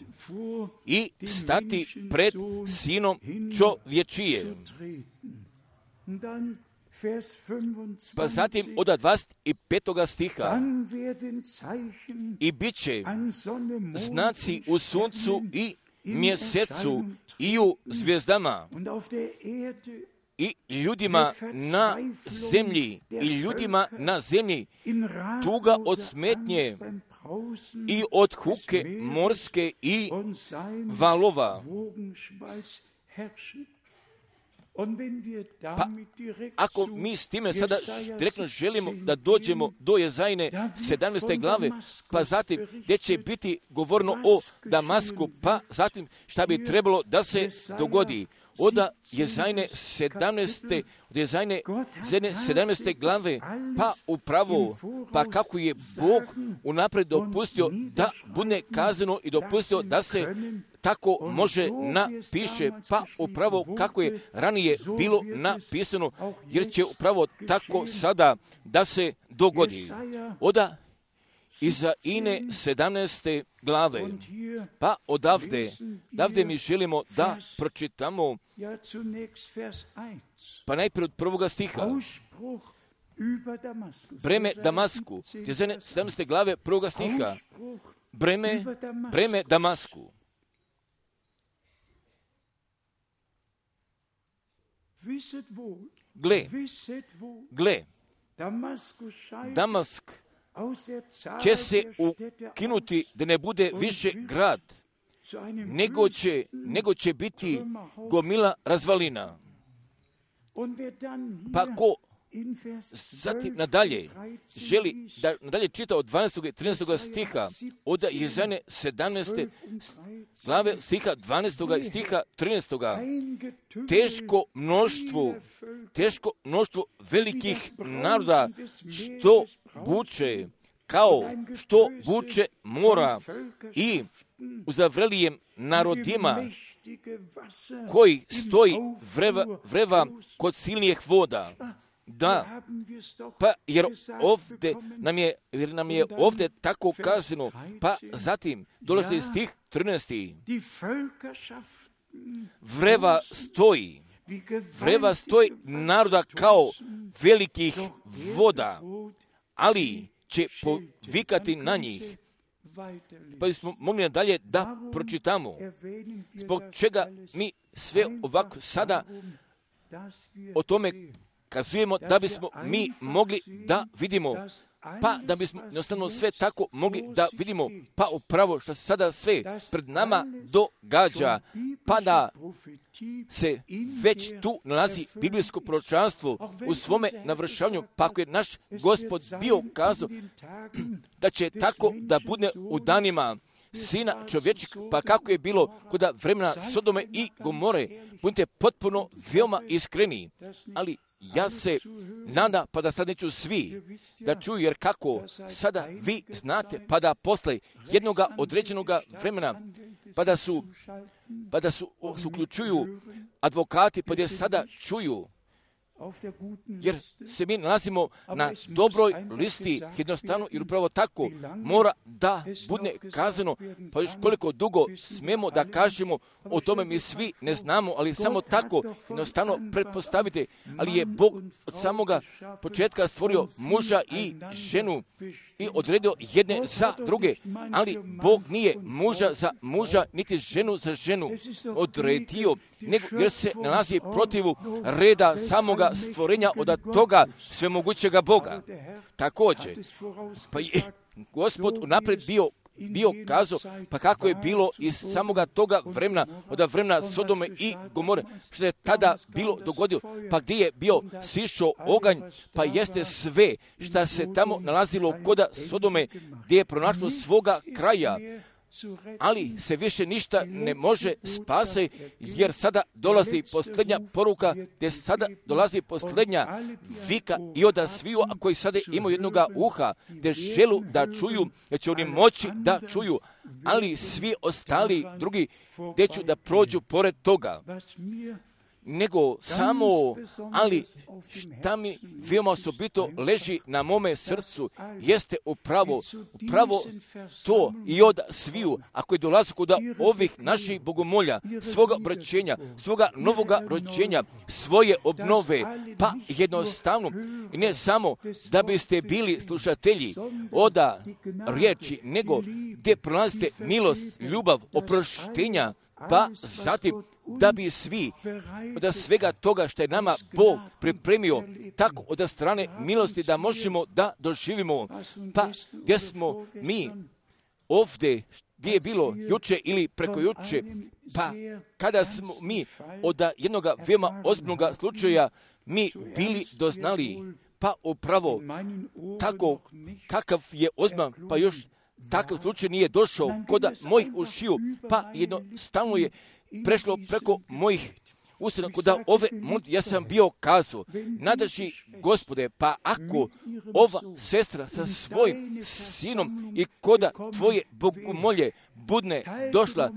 i stati pred Sinom čovječije. Pa zatim od 25. stiha. I bit će znaci u suncu i mjesecu i u zvijezdama i ljudima na zemlji, tuga od smetnje i od huke morske i valova. Pa ako mi s time sada direktno želimo da dođemo do Jezajne 17. glave, pa zatim gdje će biti govorno o Damasku, pa zatim šta bi trebalo da se dogodi. Od Jezajne 17. glave, pa upravo, pa kako je Bog unaprijed dopustio da bude kazano i dopustio da se tako može napiše, pa upravo kako je ranije bilo napisano, jer će upravo tako sada da se dogodi. Od Izaine 17. glave, pa odavde mi želimo da pročitamo, pa najprije od 1. stiha. Breme Damasku, Izaine 17. glave 1. stiha. Breme Damasku. Gle, Damask će se ukinuti da ne bude više grad, nego će biti gomila razvalina. Pa ko zatim nadalje želi da nadalje čita od 12. i 13. stiha od Jezajne 17. glave stiha 12. i stiha 13. Teško mnoštvo velikih naroda što buče mora i u zavrelijem narodima koji stoji vreva kod silnijih voda. Da, pa jer nam je ovdje tako kazano, pa zatim dolazi stih 13. Vreva stoji naroda kao velikih voda, ali će povikati na njih. Pa bismo mogli nadalje da pročitamo. Zbog čega mi sve ovako sada o tome kazujemo, da bismo mi mogli da vidimo, pa da bismo jednostavno sve tako mogli da vidimo, pa upravo što se sada sve pred nama događa, pa da se već tu nalazi biblijsko proročanstvo u svome navršavanju, pa ako je naš Gospod bio kazao da će tako da bude u danima Sina čovječeg, pa kako je bilo kod vremena Sodome i Gomore, budite potpuno veoma iskreni, ali ja se nadam, pa da sad neću svi da čuju, jer kako sada vi znate, pa da posle jednoga određenoga vremena, pa da su uključuju advokati, pa gdje sada čuju, jer se mi nalazimo na dobroj listi, jednostavno, jer upravo tako mora da bude kazano, pa još koliko dugo smemo da kažemo, o tome mi svi ne znamo, ali samo tako, jednostavno pretpostavite, ali je Bog od samoga početka stvorio muža i ženu i odredio jedne za druge, ali Bog nije muža za muža, niti ženu za ženu odredio, nego jer se nalazi protivu reda samoga stvorenja od toga svemogućega Boga. Također, pa je Gospod unaprijed bio kazao, pa kako je bilo iz samoga toga vremena, od vremena Sodome i Gomore, što se tada bilo dogodilo, pa gdje je bio sišao oganj, pa jeste sve što se tamo nalazilo kod Sodome, gdje je pronašlo svoga kraja, ali se više ništa ne može spasiti, jer sada dolazi posljednja poruka, gdje sada dolazi posljednja vika i od sviju, a koji sada imaju jednoga uha, gdje želu da čuju, jer će oni moći da čuju, ali svi ostali drugi gdje ću da prođu pored toga. Nego samo, ali šta mi veoma osobito leži na mome srcu, jeste upravo to i od sviju, ako je dolazi kod ovih naših bogomolja, svoga obraćenja, svoga novoga rođenja, svoje obnove, pa jednostavno, i ne samo da biste bili slušatelji od riječi, nego gdje pronalazite milost, ljubav, oproštenja, pa zatim da bi svi od svega toga što je nama Bog pripremio tako od strane milosti da možemo da doživimo, pa gdje smo mi ovdje, gdje je bilo juče ili preko juče, pa kada smo mi od jednog veoma ozbiljnog slučaja mi bili doznali, pa upravo tako kakav je ozbiljan, pa još takav slučaj nije došao kod mojih ušiju, pa jednostavno je prešlo preko mojih usana, kod ove molitve ja sam bio kazao, nadaži Gospode, pa ako ova sestra sa svojim sinom i kod tvoje bogomolje budne došla,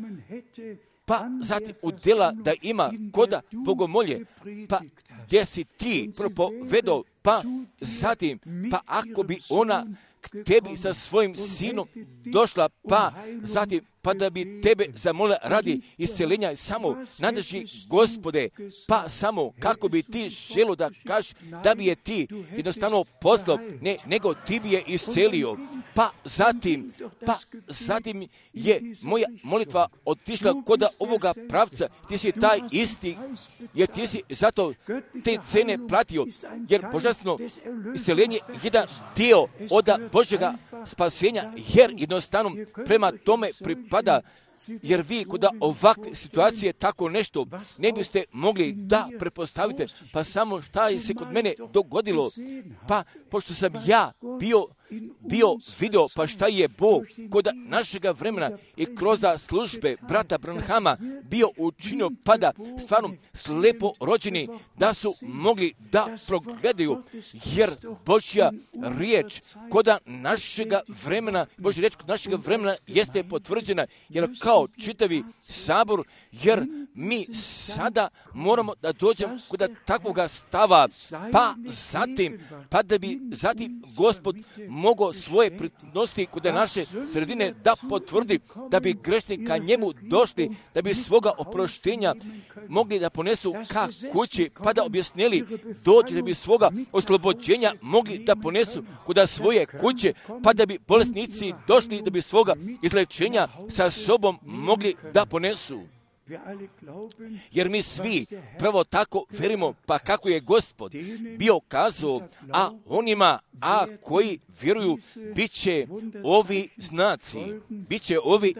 pa zatim udjela da ima kod bogomolje, pa gdje si ti propovedao, pa zatim, pa ako bi ona k tebi sa svojim sinom došla, pa zatim, pa da bi tebe zamolila radi isceljenja, samo nadaži Gospode, pa samo kako bi ti želo da kažeš da bi je ti jednostavno poslao, ne, nego ti bi je iscelio. Pa zatim je moja molitva otišla kod ovoga pravca, ti si taj isti, jer ti si zato te cene platio, jer božanstveno isceljenje je jedan dio od Božjega spasenja, jer jednostavno prema tome pripada, jer vi kod ovakve situacije tako nešto ne biste mogli da prepostavite, pa samo šta je se kod mene dogodilo, pa pošto sam ja bio video, pa šta je Bog kod našega vremena i kroz službe brata Branhama bio učinio, pa da stvarno slepo rođeni da su mogli da progledaju, jer Božja riječ kod našega vremena, Božja riječ kod našega vremena jeste potvrđena, jer kao čitavi sabor, jer mi sada moramo da dođemo kod takvoga stava, pa zatim, pa da bi zatim Gospod mogao svoje prinositi kod naše sredine da potvrdi, da bi grešni ka njemu došli, da bi svoga oproštenja mogli da ponesu ka kući, pa da objasnili dođi, da bi svoga oslobođenja mogli da ponesu kod svoje kuće, pa da bi bolesnici došli, da bi svoga izlečenja sa sobom mogli da ponesu. Jer mi svi pravo tako verimo, pa kako je Gospod bio kazao, a onima, koji vjeruju, bit će ovi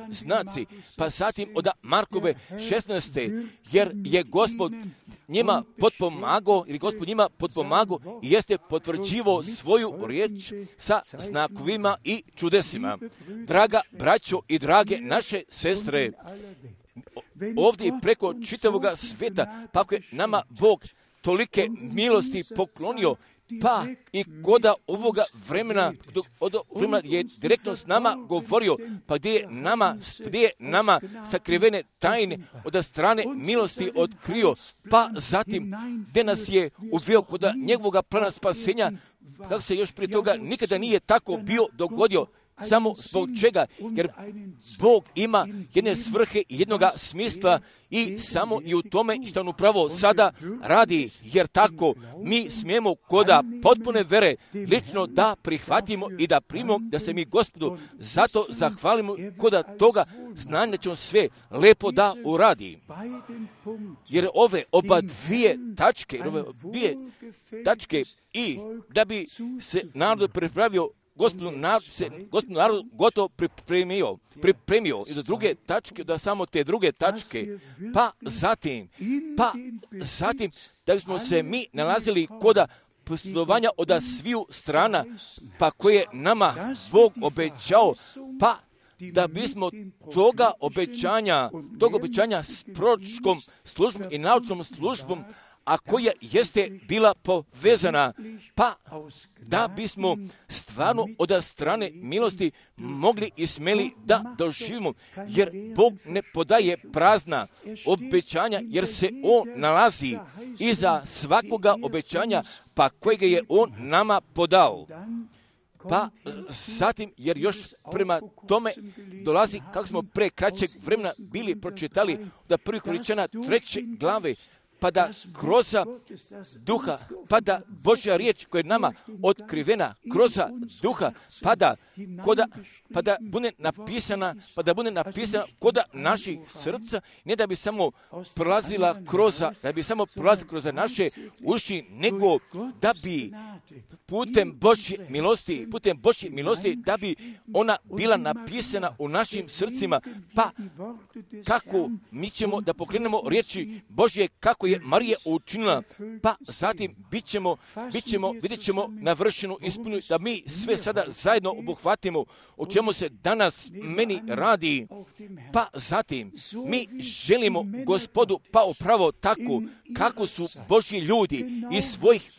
znaci, pa zatim od Markove 16. jer je Gospod njima potpomagao, i jeste potvrđivao svoju riječ sa znakovima i čudesima. Draga braćo i drage naše sestre, ovdje preko čitavoga svijeta, pa ako je nama Bog tolike milosti poklonio, pa i koda ovoga vremena, je direktno s nama govorio, pa gdje je nama sakrivene tajne od strane milosti otkrio, pa zatim gdje nas je uveo kod njegovoga plana spasenja, kako se još prije toga nikada nije tako bio dogodio. Samo zbog čega? Jer Bog ima jedne svrhe i jednoga smisla i samo i u tome što on upravo sada radi, jer tako mi smijemo koda potpune vere lično da prihvatimo i da primimo, da se mi Gospodu zato zahvalimo koda toga znanja da će on sve lepo da uradi. Jer ove oba dvije tačke i da bi se narod pripravio, Gospod narod gotovo pripremio i do druge tačke, da samo te druge tačke, pa zatim, da bismo se mi nalazili koda posjedovanja od sviju strana, pa koje nama Bog obećao, pa da bismo toga obećanja s proročkom službom i naučnom službom, a koja jeste bila povezana, pa da bismo stvarno od strane milosti mogli i smeli da doživimo, jer Bog ne podaje prazna obećanja, jer se On nalazi iza svakoga obećanja, pa kojega je On nama podao. Pa zatim, jer još prema tome dolazi, kako smo pre kraćeg vremena bili pročitali da 1. Korinćana 3. glave, pa da kroz duha, pa da Božja riječ koja je nama otkrivena kroz duha, pa da bude napisana koda naših srca, ne da bi samo prolazila kroz naše uši, nego da bi putem Božje milosti, da bi ona bila napisana u našim srcima, pa kako mi ćemo da pokrenemo riječi Božje, kako je Marija učinila, pa zatim vidjet ćemo navršenu ispunu, da mi sve sada zajedno obuhvatimo o čemu se danas meni radi, pa zatim mi želimo Gospodu, pa upravo tako kako su Božji ljudi iz svojih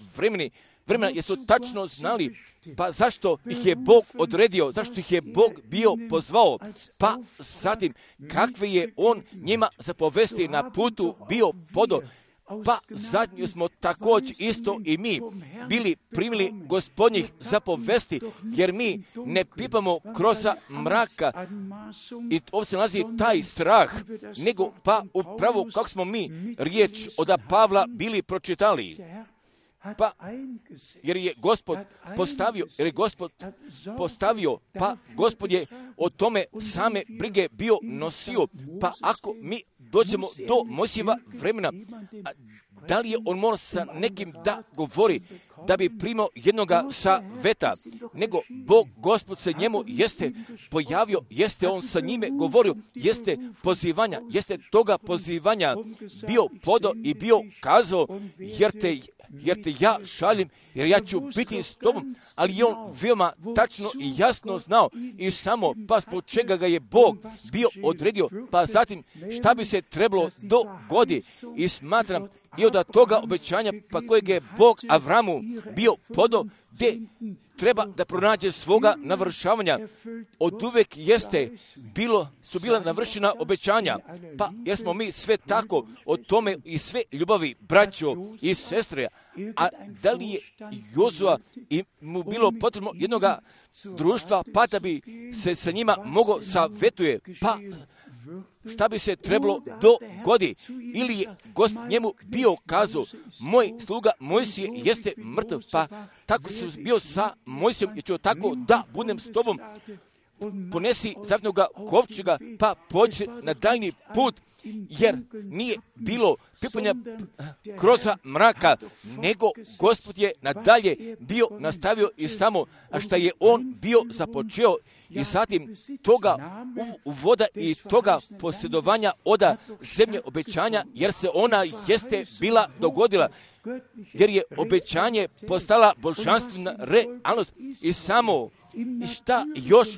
vremena jesu tačno znali, pa zašto ih je Bog odredio, zašto ih je Bog bio pozvao, pa zatim kakve je On njima zapovesti na putu bio podo, pa zadnju smo također isto i mi bili primili Gospodnjih zapovesti, jer mi ne pipamo kroz mraka i ovdje se nalazi taj strah, nego pa upravo kako smo mi riječ od Pavla bili pročitali. Pa, jer je Gospod postavio, pa Gospod je o tome same brige bio nosio, pa ako mi dođemo do Mojsijeva vremena, da li je on morao sa nekim da govori, da bi primao jednoga saveta, nego Bog, Gospod se njemu jeste pojavio, jeste on sa njime govorio, jeste toga pozivanja bio podo i bio kazao, jer te ja šaljem, jer ja ću biti s tobom, ali je on veoma tačno i jasno znao i samo pa zbog čega ga je Bog bio odredio, pa zatim šta bi se trebalo dogodi i smatram i od toga obećanja pa kojeg je Bog Avramu bio podao, gdje treba da pronađe svoga navršavanja. Od uvek su bila navršena obećanja, pa jesmo mi sve tako o tome i sve ljubavi, braćo i sestre, a da li je Jozua i mu bilo potrebno jednoga društva, pa da bi se sa njima mogao savjetuje, pa šta bi se trebalo dogodi, ili je Gospod njemu bio kazao, moj sluga Mojsije jeste mrtav, pa tako sam bio sa Mojsijom, jer ću tako da budem s tobom, ponesi zavnoga kovčega, pa pođi na daljni put, jer nije bilo pipanja kroz mraka, nego Gospod je nadalje bio nastavio i samo, a šta je on bio započeo i zatim toga uvoda i toga posjedovanja oda zemlje obećanja, jer se ona jeste bila dogodila, jer je obećanje postala božanstvena realnost i samo i šta još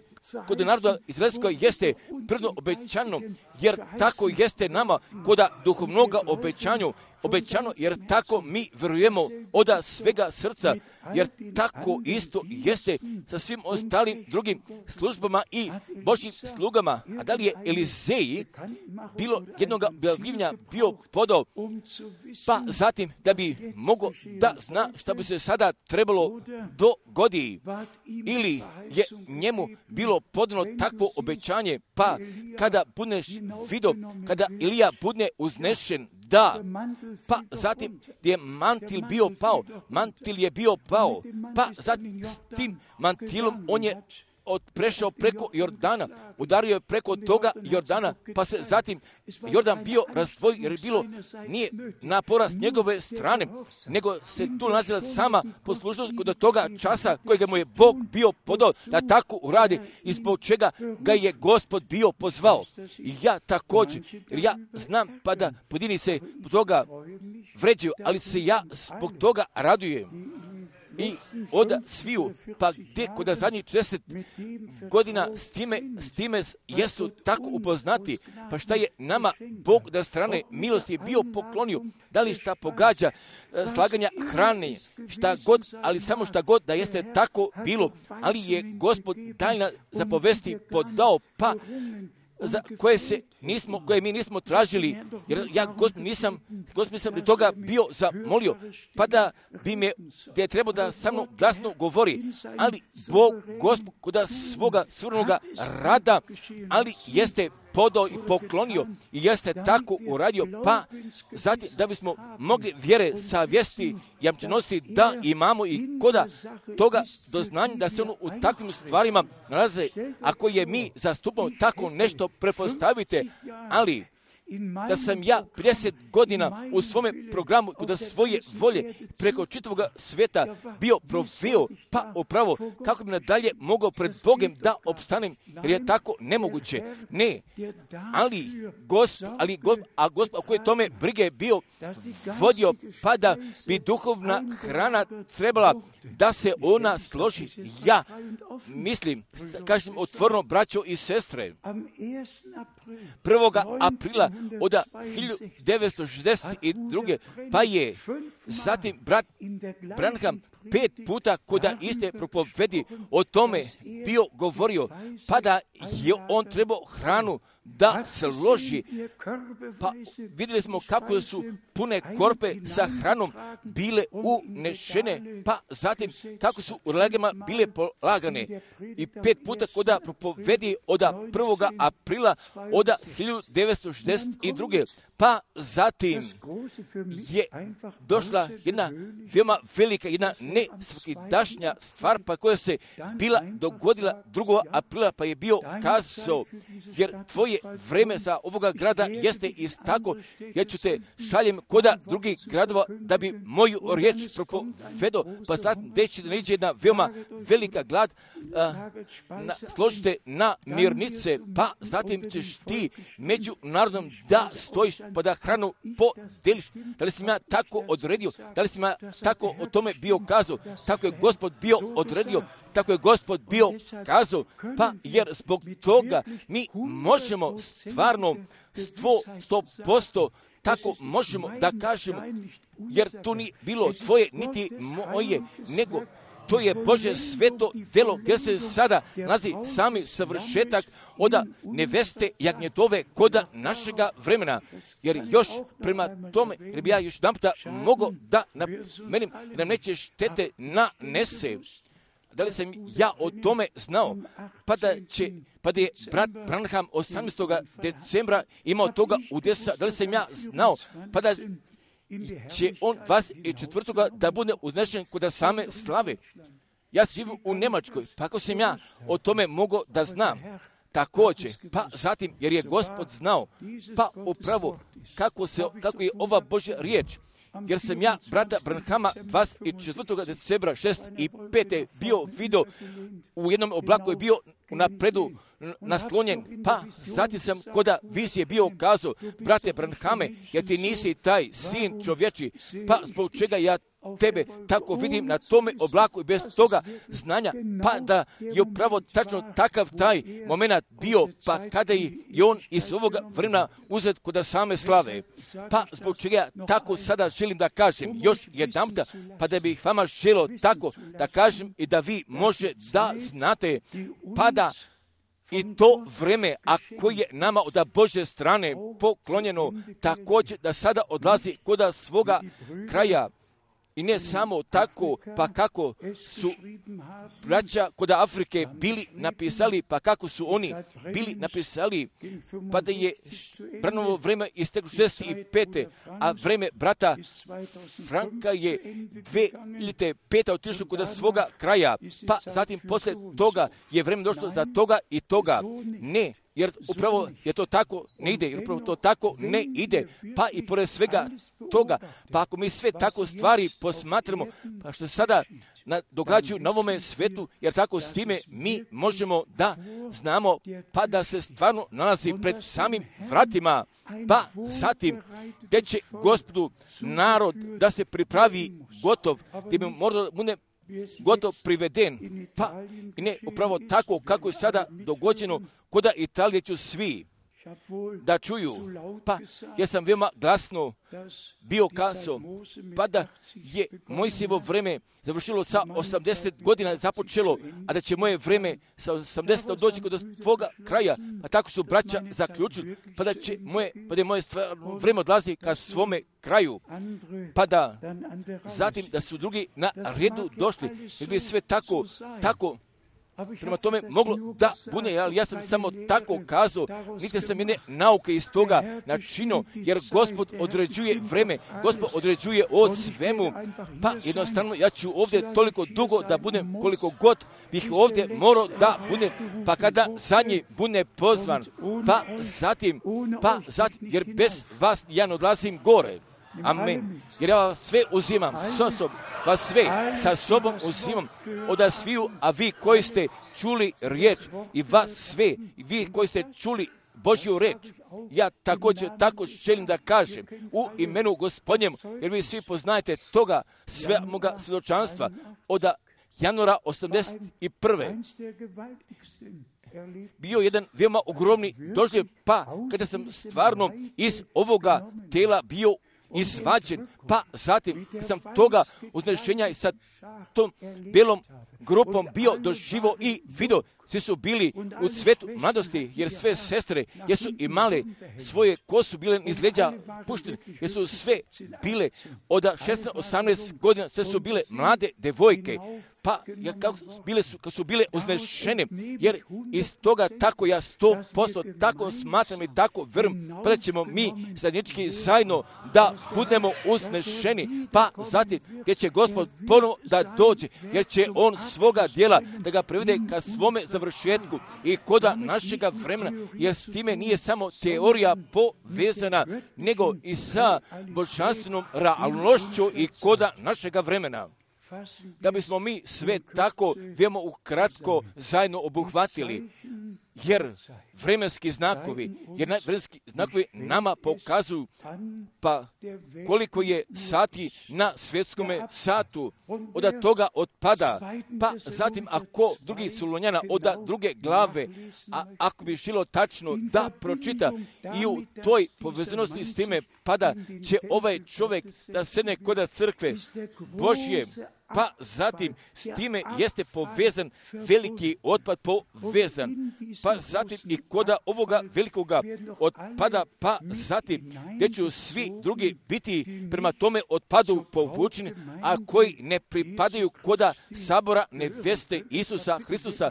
kod naroda izraelskog jeste prvno obećano, jer tako jeste nama koda duhovnoga obećano, jer tako mi vjerujemo od svega srca, jer tako isto jeste sa svim ostalim drugim službama i Božjim slugama. A da li je Elizeji bilo jednoga objavljivanja bio podao, pa zatim da bi mogao da zna šta bi se sada trebalo dogodi, ili je njemu bilo podano takvo obećanje, pa kada budeš vidio, kada Ilija bude uznešen, da, pa zatim je mantil je bio pao, pa zatim s tim mantilom on je prešao preko Jordana, udario je preko toga Jordana, pa se zatim Jordan bio razdvojio, jer je bilo nije napora s njegove strane, nego se tu nalazila sama poslušnost kod toga časa kojega mu je Bog bio podao da tako uradi, ispod čega ga je Gospod bio pozvao. I ja također, jer ja znam pa da pojedini se zbog toga vređaju, ali se ja zbog toga radujem. I od sviju, pa gdje kod zadnjih 40 godina s time jesu tako upoznati, pa šta je nama Bog da strane milosti je bio poklonio, da li šta pogađa slaganja hrane, šta god, ali samo šta god da jeste tako bilo, ali je Gospod tajna zapovesti podao, pa za koje mi nismo tražili, jer ja Gospod nisam pri toga bio zamolio, pa da bi me, gdje je trebao da sa mnom glasno govori, ali Bog, Gospod, kod svoga svrnoga rada, ali jeste podao i poklonio i jeste tako uradio, pa zatim da bismo mogli vjere savjesti jamčenosti da imamo i koda toga doznanja da se ono u takvim stvarima nalaze, ako je mi zastupamo tako nešto prepostavite, ali da sam ja 50 godina u svome programu kod svoje volje preko čitavog svijeta bio proveo, pa upravo kako bi nadalje mogao pred Bogom da opstanem, jer je tako nemoguće. Ne, ali Gospod, koji je tome brige bio vodio, pa da bi duhovna hrana trebala da se ona složi. Ja mislim, kažem otvoreno, braćo i sestre, 1. aprila od 1962. pa je zatim brat Branham 5 puta kod iste propovedi o tome bio govorio, pa da je on trebao hranu da se loži. Pa vidjeli smo kako su pune korpe sa hranom bile unešene, pa zatim kako su u legama bile polagane. I 5 puta kod propovedi od 1. aprila od 1962. Pa zatim je došla jedna veoma velika, jedna nesvakidašnja stvar, pa koja se bila dogodila 2. aprila, pa je bio kazao, jer tvoje vreme za ovoga grada jeste istako, ja ću te šaljem koda drugih gradova da bi moju riječ propovedo, pa zatim deći da niđe jedna veoma velika glad, složite na mirnice, pa zatim ćeš ti među narodom da stojiš, pa da hranu podeliš. Da li sam ja tako odredio? Da li sam ja tako o tome bio kazao? Tako je Gospod bio odredio, tako je Gospod bio kazao, pa jer zbog toga mi možemo stvarno 100% tako možemo da kažemo, jer to ni bilo tvoje niti moje, nego to je Božje sveto delo gdje se sada nalazi sami savršetak od neveste jagnjetove koda našega vremena. Jer još prema tome, jer bi ja još jedan puta mogao da napomenem, jer nam neće štete nanese. Da li sam ja o tome znao, pa da je brat Branham 18. decembra imao toga udesa, da li sam ja znao, pa da će on 24. da bude uznešen kod same slave. Ja živim u Njemačkoj, pa ako sam ja o tome mogao da znam, također, pa zatim, jer je Gospod znao, pa upravo kako je ova Božja riječ, jer sam ja brata Branhama 24. decembra 6 i 5. bio vidio u jednom oblaku je bio napredu naslonjen, pa zatim sam koda vizije bio kazao, brate Branhame, jer ti nisi taj sin čovječi, pa zbog čega ja tebe tako vidim na tome oblaku i bez toga znanja, pa da je upravo tačno takav taj moment bio, pa kada je on iz ovoga vremena uzet kod same slave. Pa zbog čega tako sada želim da kažem još jedanputa, pa da bih vama želio tako da kažem i da vi može da znate, pa da i to vreme, a koje je nama od Božje strane poklonjeno, također da sada odlazi kod svoga kraja. I ne samo tako, pa kako su braća kod Afrike bili napisali, pa kako su oni bili napisali, pa da je Branhamo vreme isteklo 65. a vreme brata Franka je 2005. otišlo kod svoga kraja, pa zatim posle toga je vreme došlo za toga i toga. Ne, jer upravo je to tako ne ide, jer upravo to tako ne ide, pa i pored svega toga, pa ako mi sve tako stvari posmatramo, pa što se sada događaju na ovome svetu, jer tako s time mi možemo da znamo, pa da se stvarno nalazi pred samim vratima, pa zatim gdje će Gospodu narod da se pripravi gotov, gdje bi morao bude gotov priveden, pa i ne upravo tako kako je sada dogođeno kod Italije ću svi da čuju, pa ja sam veoma glasno bio kazao, pa da je Mojsijevo vreme završilo sa 80 godina započelo, a da će moje vreme sa 80 doći kod tvoga kraja, a tako su braća zaključili, pa da će moje vreme odlazi ka svome kraju, pa da zatim da su drugi na redu došli, jer bi sve tako prema tome moglo da bude, ali ja sam samo tako kazao, niti sam jedne nauke iz toga načinio, jer Gospod određuje vreme, Gospod određuje o svemu, pa jednostavno ja ću ovdje toliko dugo da budem koliko god bih ovdje morao da budem, pa kada zadnji bude pozvan, pa zatim, jer bez vas ja ne odlazim gore. Amen. Jer ja vas sve uzimam sa sobom, vas sve sa sobom uzimam od sviju, a vi koji ste čuli riječ i vas sve, vi koji ste čuli Božju riječ, ja također tako želim da kažem u imenu Gospodnjem, jer vi svi poznajete toga sve moga svjedočanstva od januara 81. bio jedan veoma ogromni doživljaj, pa kada sam stvarno iz ovoga tela bio izvađen, pa zatim sam toga uznešenja i sa tom belom grupom bio doživo i video. Svi su bili u cvetu mladosti, jer sve sestre jesu imale svoje kosu bile iz leđa puštene, jer su sve bile od 16-18 godina, sve su bile mlade devojke, pa kako su bile uznešene, jer iz toga tako ja 100% tako smatram i tako vjerujem, pa da ćemo mi zajednički zajedno da budemo uznešeni, pa zatim gdje će Gospod ponovo da dođe, jer će On svoga djela da ga privede ka svome završetku i koda našega vremena, jer s time nije samo teorija povezana, nego i sa božanstvenom realnošću i koda našega vremena. Da bismo mi sve tako veoma ukratko zajedno obuhvatili, jer vremenski znakovi nama pokazuju pa koliko je sati na svjetskome satu, od toga otpada, pa zatim ako drugi Solunjana od druge glave, a ako bi žilo tačno da pročita i u toj povezanosti s time, pada će ovaj čovjek da sedne kod crkve Božje, pa zatim s time jeste povezan veliki otpad povezan, pa zatim i koda ovoga velikoga otpada, pa zatim gdje će svi drugi biti prema tome otpadu povučeni, a koji ne pripadaju koda sabora neveste Isusa Hristusa.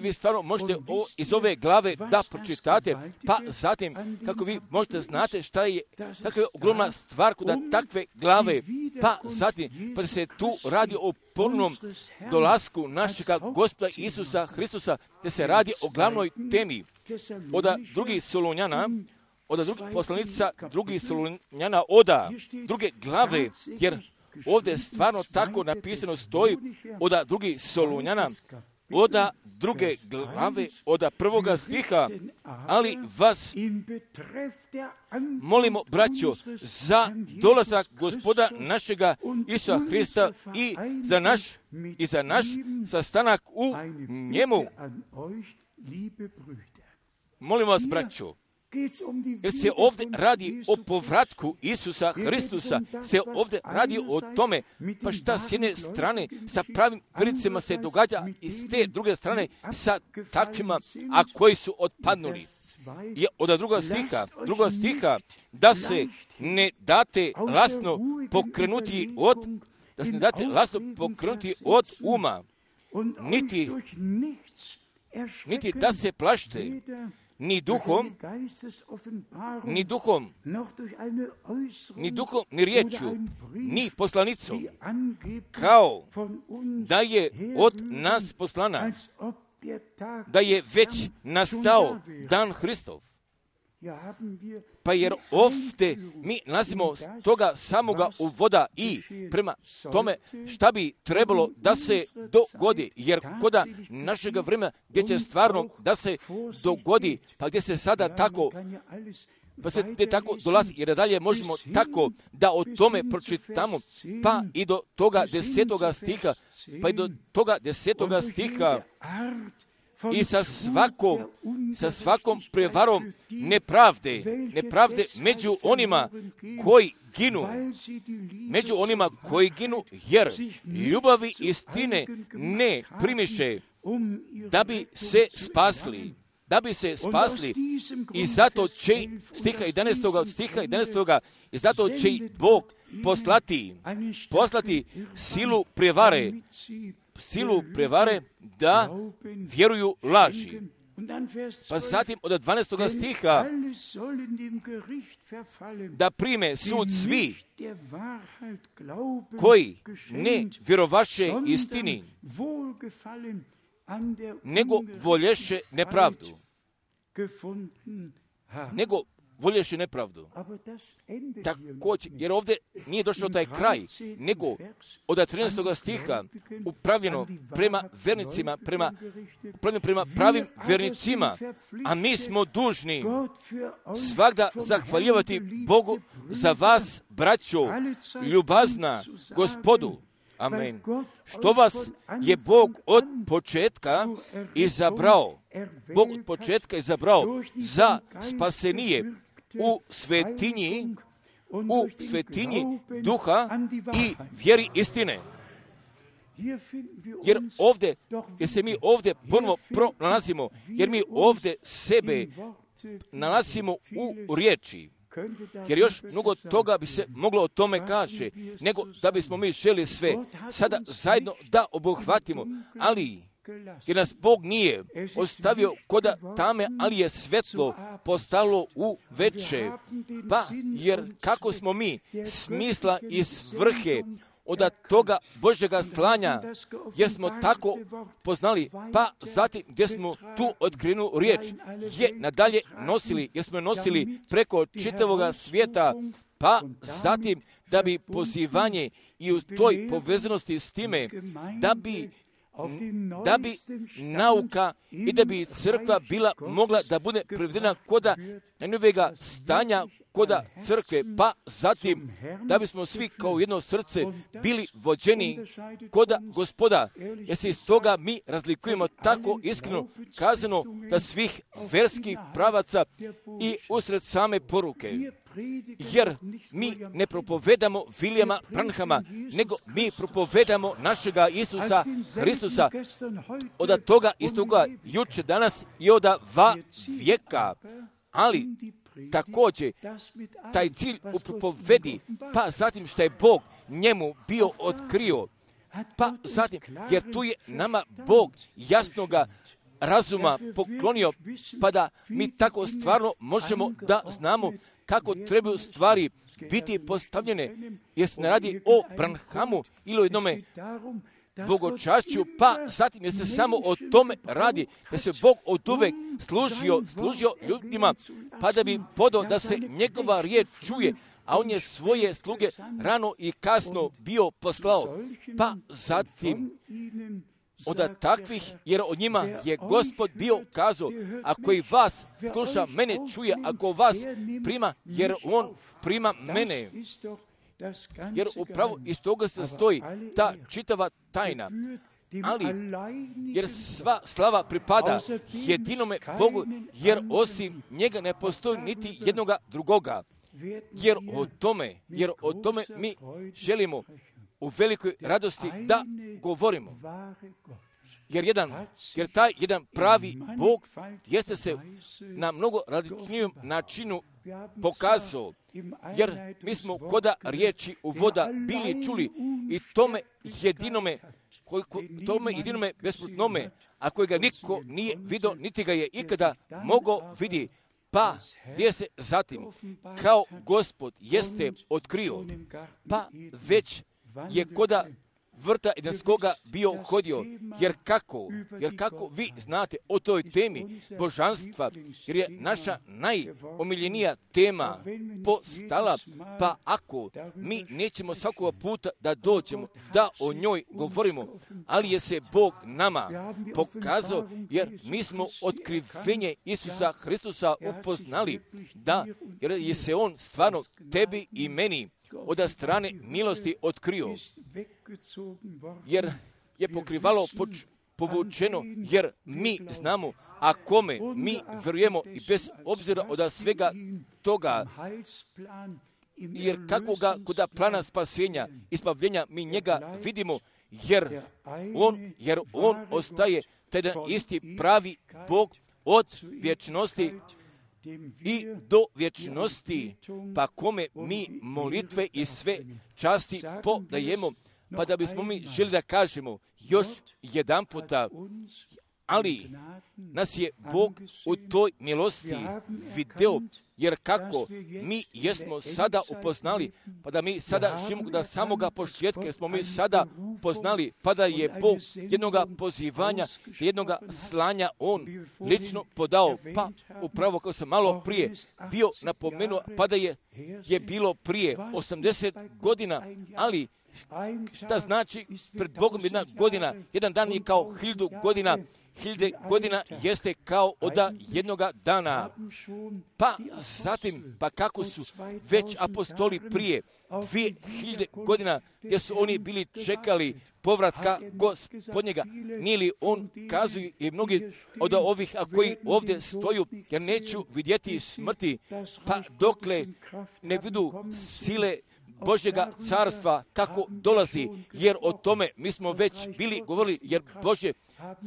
Vi stvarno možete iz ove glave da pročitate, pa zatim kako vi možete znate šta je, kakva je ogromna stvar koda takve glave, pa zatim pa se tu radi o ponovnom dolasku našega Gospoda Isusa Hristusa, gdje se radi o glavnoj temi od drugih Solunjana, od drugih poslanica, drugih Solunjana, od druge glave, jer ovdje stvarno tako napisano stoji od drugih Solunjana, od druge glave, od prvoga stiha, ali vas molimo, braćo, za dolazak Gospoda našega Isusa Hrista i za naš sastanak u njemu. Molim vas, braćo, jer se ovdje radi o povratku Isusa Hristusa, se ovdje radi o tome, pa šta s jedne strane sa pravim vjernicima se događa i s te druge strane sa takvima, a koji su otpadnuli. Je od druga stiha, da se ne date lasno pokrenuti od uma, niti da se plašte, ni duhom, ni riječju, ni poslanicom, kao da je od nas poslana, da je već nastao dan Hristov. Pa jer ovdje mi nalazimo toga samoga uvoda i prema tome šta bi trebalo da se dogodi, jer koda našega vremena gdje će stvarno da se dogodi, pa gdje se sada tako, pa se gdje tako dolazi, jer dalje možemo tako da o tome pročitamo, pa i do toga 10. stiha, i sa svakom prevarom nepravde među onima koji ginu, jer ljubavi istine ne primiše, da bi se spasli. I zato će stiha 11. I zato će Bog poslati silu prevare da vjeruju laži. Pa zatim od 12. stiha, da prime sud svi koji ne vjerovaše istini, nego volješe nepravdu. Također, jer ovdje nije došao taj kraj, nego od 13. stiha upravljeno prema vernicima, prema pravim vernicima, a mi smo dužni svagda zahvaljivati Bogu za vas, braćo, ljubazna Gospodu. Amen. Što vas je Bog od početka izabrao za spasenije u svetinji duha i vjeri istine. Jer se mi ovdje ponovo pronalazimo, jer mi ovdje sebe nalazimo u riječi. Jer još mnogo toga bi se moglo o tome kaže, nego da bismo mi želi sve sada zajedno da obuhvatimo, ali jer nas Bog nije ostavio koda tame, ali je svetlo postalo u veče. Pa jer kako smo mi smisla i svrhe od toga Božjega slanja, jer smo tako poznali, pa zatim gdje smo tu otkrivenu riječ je nadalje nosili, jer smo nosili preko čitavoga svijeta, pa zatim da bi pozivanje i u toj povezanosti s time, da bi nauka i da bi crkva bila mogla da bude prevedena koda najnovijega stanja koda crkve, pa zatim da bismo svi kao jedno srce bili vođeni koda Gospoda, jer se iz toga mi razlikujemo tako iskreno kazano da svih verskih pravaca i usred same poruke. Jer mi ne propovedamo Vilijama Branhama, nego mi propovedamo našega Isusa Hristusa od toga istoga juče, danas i od vijeka. Ali također taj cilj u propovedi, pa zatim što je Bog njemu bio otkrio, pa zatim, jer tu je nama Bog jasnoga razuma poklonio, pa da mi tako stvarno možemo da znamo kako trebaju stvari biti postavljene, jer se ne radi o Branhamu ili o jednome bogočašću, pa zatim jer se samo o tome radi, jer se Bog od uvek služio ljudima, pa da bi podao da se njegova riječ čuje, a on je svoje sluge rano i kasno bio poslao. Pa zatim od takvih, jer o njima je Gospod bio kazao, ako i vas sluša, mene čuje, ako vas prima, jer on prima mene. Jer upravo iz toga se stoji ta čitava tajna. Ali, jer sva slava pripada jedinome Bogu, jer osim njega ne postoji niti jednoga drugoga. Jer o tome mi želimo u velikoj radosti da govorimo. Jer taj jedan pravi Bog jeste se na mnogo različnijem načinu pokazao. Jer mi smo koda riječi u voda bili čuli i tome jedinome besplodnome, a kojega niko nije vidio, niti ga je ikada mogao vidjeti. Pa gdje se zatim, kao Gospod jeste otkrio, pa već je koda vrta Edenskoga bio hodio, jer kako vi znate o toj temi božanstva, jer je naša najomiljenija tema postala, pa ako mi nećemo svakoga puta da dođemo, da o njoj govorimo, ali je se Bog nama pokazao, jer mi smo otkrivenje Isusa Hristusa upoznali, jer je se on stvarno tebi i meni od strane milosti otkrio, jer je pokrivalo povučeno, jer mi znamo, a kome mi vjerujemo i bez obzira od svega toga, jer kakvoga koda plana spasenja i spavljenja mi njega vidimo, jer on ostaje taj isti pravi Bog od vječnosti i do vječnosti, pa kome mi molitve i sve časti podajemo, pa da bismo mi želi da kažemo još jedan puta, ali nas je Bog u toj milosti video, jer kako mi jesmo sada upoznali, pa da mi sada živimo da samoga početka, jer smo mi sada poznali, pa da je Bog jednoga pozivanja, jednoga slanja on lično podao, pa upravo kao sam malo prije bio napomenuo, pa da je bilo prije 80 godina, ali šta znači pred Bogom jedna godina, jedan dan je kao 1000 godina, 1000 godina jeste kao od jednoga dana. Pa zatim, pa kako su već apostoli prije 2000 godina, gdje su oni bili čekali povratka Gospodnjega, nije li on kazuje i mnogi od ovih, a koji ovdje stoju, jer neću vidjeti smrti, pa dokle ne vidu sile Božjega carstva kako dolazi, jer o tome mi smo već bili govorili, jer Božje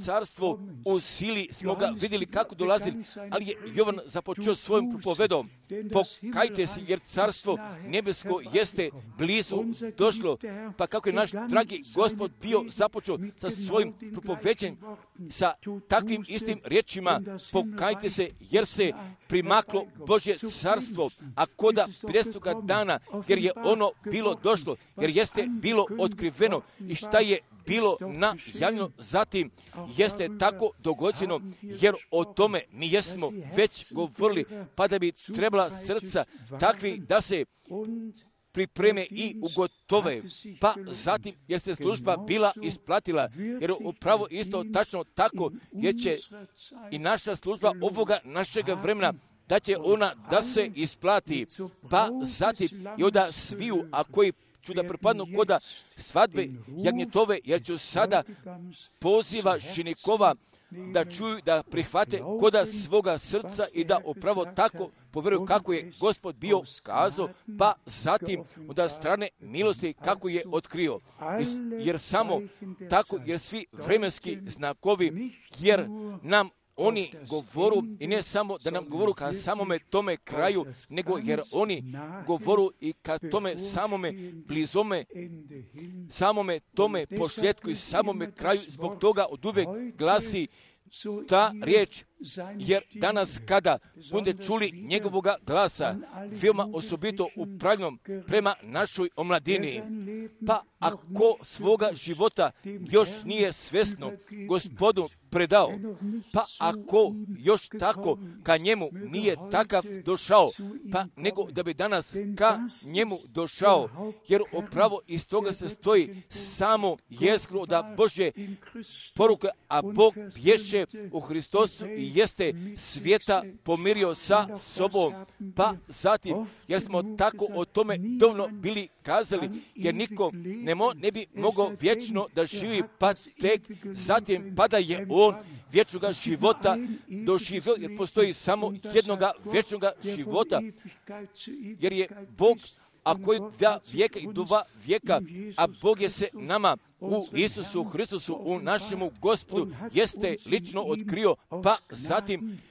carstvo u sili smo ga vidjeli kako dolazi, ali je Jovan započeo svojim propovedom. Pokajte se, jer carstvo nebesko jeste blizu došlo, pa kako je naš dragi Gospod bio započeo sa svojim propoveđenjem, sa takvim istim riječima, pokajte se, jer se primaklo Božje carstvo, a koda 50. dana, jer je ono bilo došlo, jer jeste bilo otkriveno i šta je bilo najavljeno zatim jeste tako dogođeno, jer o tome mi jesmo već govorili, pa da bi trebala srca takvi da se pripreme i ugotove, pa zatim jer se služba bila isplatila, jer upravo isto tačno tako, jer će i naša služba ovoga našega vremena, da će ona da se isplati, pa zatim i onda sviju, a koji ću da pripadnu koda svadbe jagnjetove, jer ću sada poziva ženikova da čuju, da prihvate koda svoga srca i da upravo tako povjeruju kako je Gospod bio kazao, pa zatim od strane milosti kako je otkrio. Jer samo tako, jer svi vremenski znakovi, jer nam oni govoru i ne samo da nam govoru ka samome tome kraju, nego jer oni govoru i ka tome samome blizome, samome tome posljedku i samome kraju. Zbog toga od uvek glasi ta riječ jer danas kada bude čuli njegovoga glasa, veoma osobito upravljenom prema našoj omladini, pa ako svoga života još nije svesno Gospodu predao, pa ako još tako ka njemu nije takav došao, pa nego da bi danas ka njemu došao, jer upravo iz toga se stoji samo jezgro da Božje poruke, a Bog bješe u Hristosu i jeste svijeta pomirio sa sobom, pa zatim, jer smo tako o tome dovoljno bili kazali, jer niko ne bi mogao vječno da živi, pa tek zatim pa da je on vječnoga života doživio, jer postoji samo jednoga vječnoga života, jer je Bog, a koji 2 vijeka i 2 vijeka, a Bog je se nama u Isusu Hristusu, u našemu Gospodu, jeste lično otkrio, pa zatim,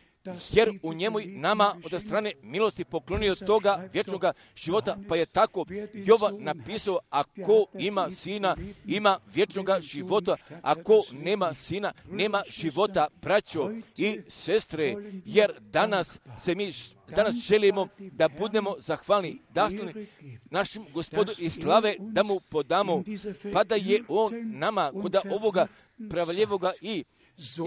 jer u njemu nama od strane milosti poklonio toga vječnoga života, pa je tako Jovan napisao, ako ima sina, ima vječnoga života, ako nema sina, nema života, braćo i sestre, jer danas želimo da budemo zahvalni, dasni našim Gospodu i slave da mu podamo, pa da je on nama kod ovoga pravaljevoga i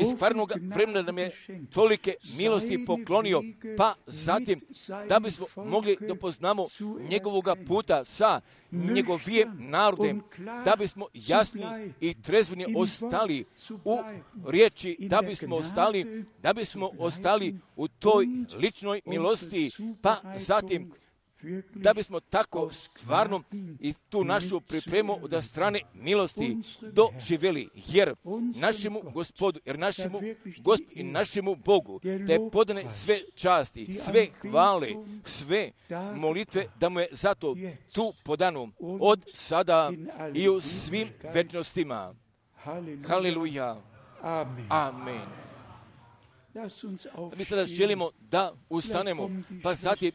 iz stvarnog vremena nam je tolike milosti poklonio, pa zatim da bismo mogli da poznamo njegovoga puta sa njegovim narodem, da bismo jasni i trezveni ostali u riječi, da bismo ostali u toj ličnoj milosti, pa zatim da bismo tako stvarno i tu našu pripremu od strane milosti doživjeli, jer našemu Gospodu, i našemu Bogu, da je podane sve časti, sve hvale, sve molitve, da mu je zato tu podano od sada i u svim večnostima. Haleluja. Amen. Mi sada želimo da ustanemo, pa zatim,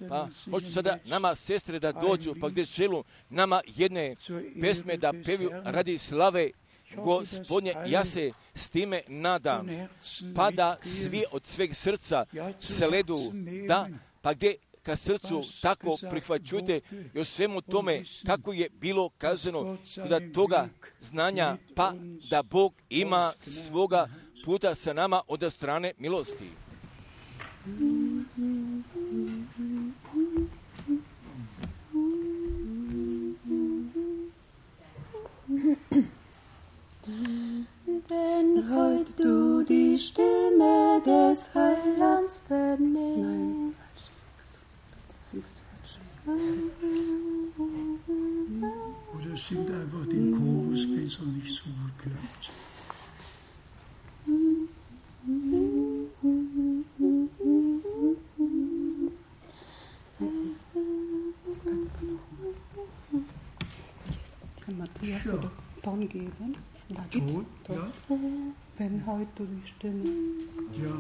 možete sada nama sestre da dođu, pa gdje želu nama jedne pesme da peviju radi slave Gospodnje, ja se s time nadam, pa da svi od sveg srca se ledu, da, pa gdje ka srcu tako prihvaćujte i o svemu tome kako je bilo kazano kod toga znanja, pa da Bog ima svoga puta sa nama od strane milosti. Wenn heut du die Stimme des Heilands vernimmst. Oder singt einfach den Chorus, wenn es noch nicht so gut klappt. Kann Matthias oder Ton geben? Ton, ja. Wenn heute die Stimme. Ja.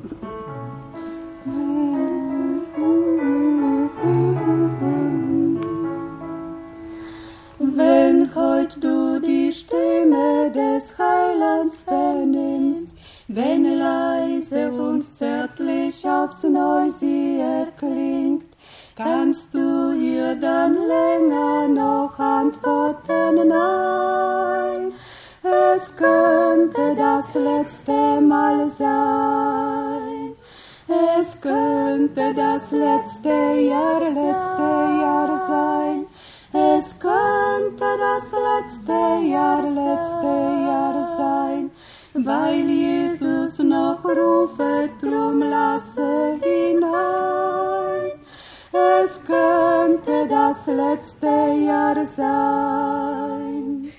Wenn heut du die Stimme des Heilands vernimmst, wenn leise und zärtlich aufs Neu sie erklingt, kannst du ihr dann länger noch antworten? Nein, es könnte das letzte Mal sein. Es könnte das letzte Jahr sein. Es könnte das letzte Jahr sein, weil Jesus noch rufet, drum lasse hinein. Es könnte das letzte Jahr sein.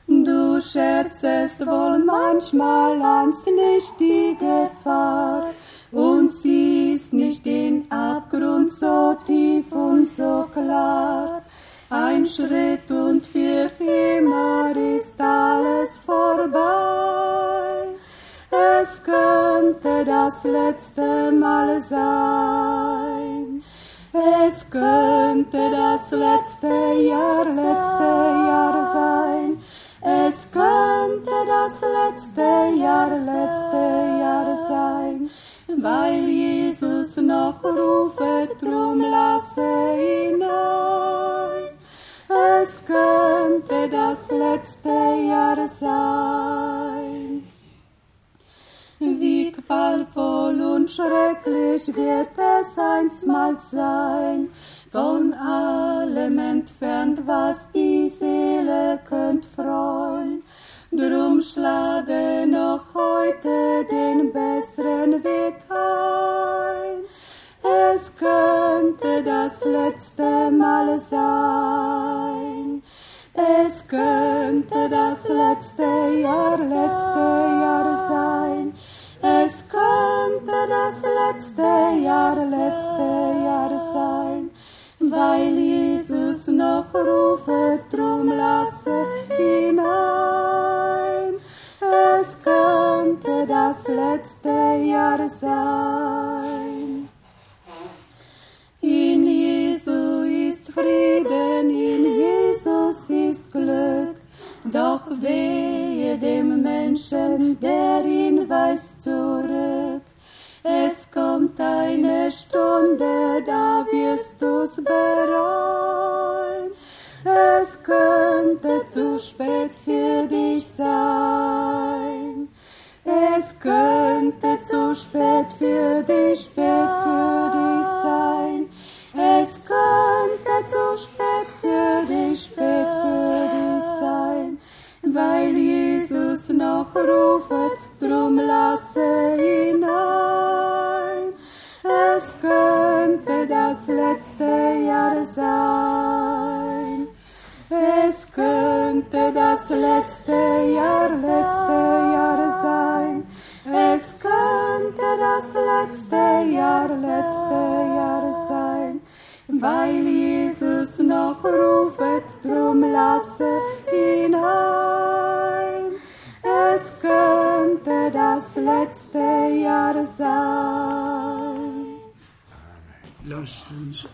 Du scherzest wohl manchmal, ahnst nicht die Gefahr und siehst nicht den Abgrund so tief und so klar. Ein Schritt und für immer ist alles vorbei. Es könnte das letzte Mal sein. Es könnte das letzte Jahr sein. Es könnte das letzte Jahr sein, weil Jesus noch rufet, drum lasse hinein. Es könnte das letzte Jahr sein. Wie qualvoll und schrecklich wird es einstmals sein, von allem entfernt, was die Seele könnt freuen. Drum schlage noch heute den besseren Weg ein. Es könnte das letzte Mal sein. Es könnte das letzte Jahr sein. Es könnte das letzte Jahr sein, weil Jesus noch rufet, drum lasse hinein. Es könnte das letzte Jahr sein. In Jesu ist Frieden, in Jesus ist Glück, doch wehe dem Menschen, der ihn weist zurück. Es kommt eine Stunde, da wirst du's bereuen. Es könnte zu spät für dich sein. Es könnte zu spät für dich sein. Es könnte zu spät für dich sein, weil Jesus noch rufet, drum lasse hinein. Es könnte das letzte Jahr sein. Es könnte das letzte Jahr sein. Es könnte das letzte Jahr sein, weil Jesus noch rufet, drum lasse hinein. Es könnte das letzte Jahr sein. Lasst uns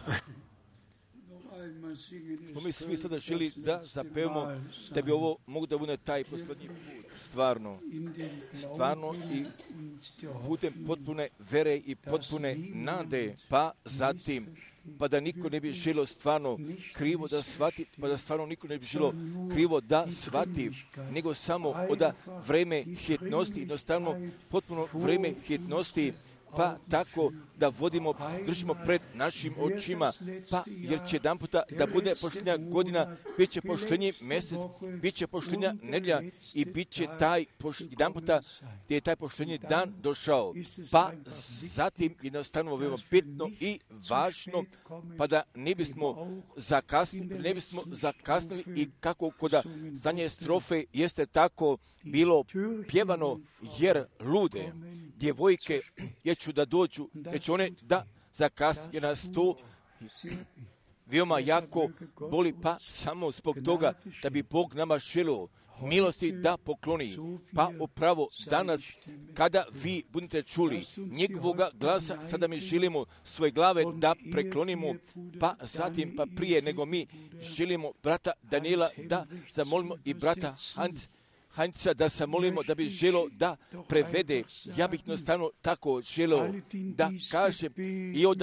noch einmal singen. Mi svi sada želi da zapevamo da bi ovo mogu da bude taj poslednji put. Stvarno i putem potpune vere i potpune nade, pa zatim, pa da niko ne bi želio stvarno krivo da shvati, pa da stvarno niko ne bi želio krivo da shvati, nego samo od vreme hitnosti, jednostavno potpuno vreme hitnosti, pa tako da držimo pred našim očima, pa jer će jedan puta da bude poštenja godina, bit će poštenji mjesec, bit će poštenja nedjelja i bit će jedan puta gdje je taj poštenji dan došao. Pa zatim jednostavno veoma bitno i važno, pa da ne bismo zakasnili i kako kod zadnje strofe jeste tako bilo pjevano, jer lude djevojke jeću da dođu, jer će one da zakasnije nas to veoma jako boli, pa samo zbog toga da bi Bog nama želio milosti da pokloni. Pa upravo danas kada vi budete čuli njegovoga glasa, sada mi želimo svoje glave da preklonimo, pa zatim pa prije nego mi želimo brata Daniela da zamolimo i brata Hanca da se molimo da bi želio da prevede. Ja bih jednostavno tako želio da kažem i od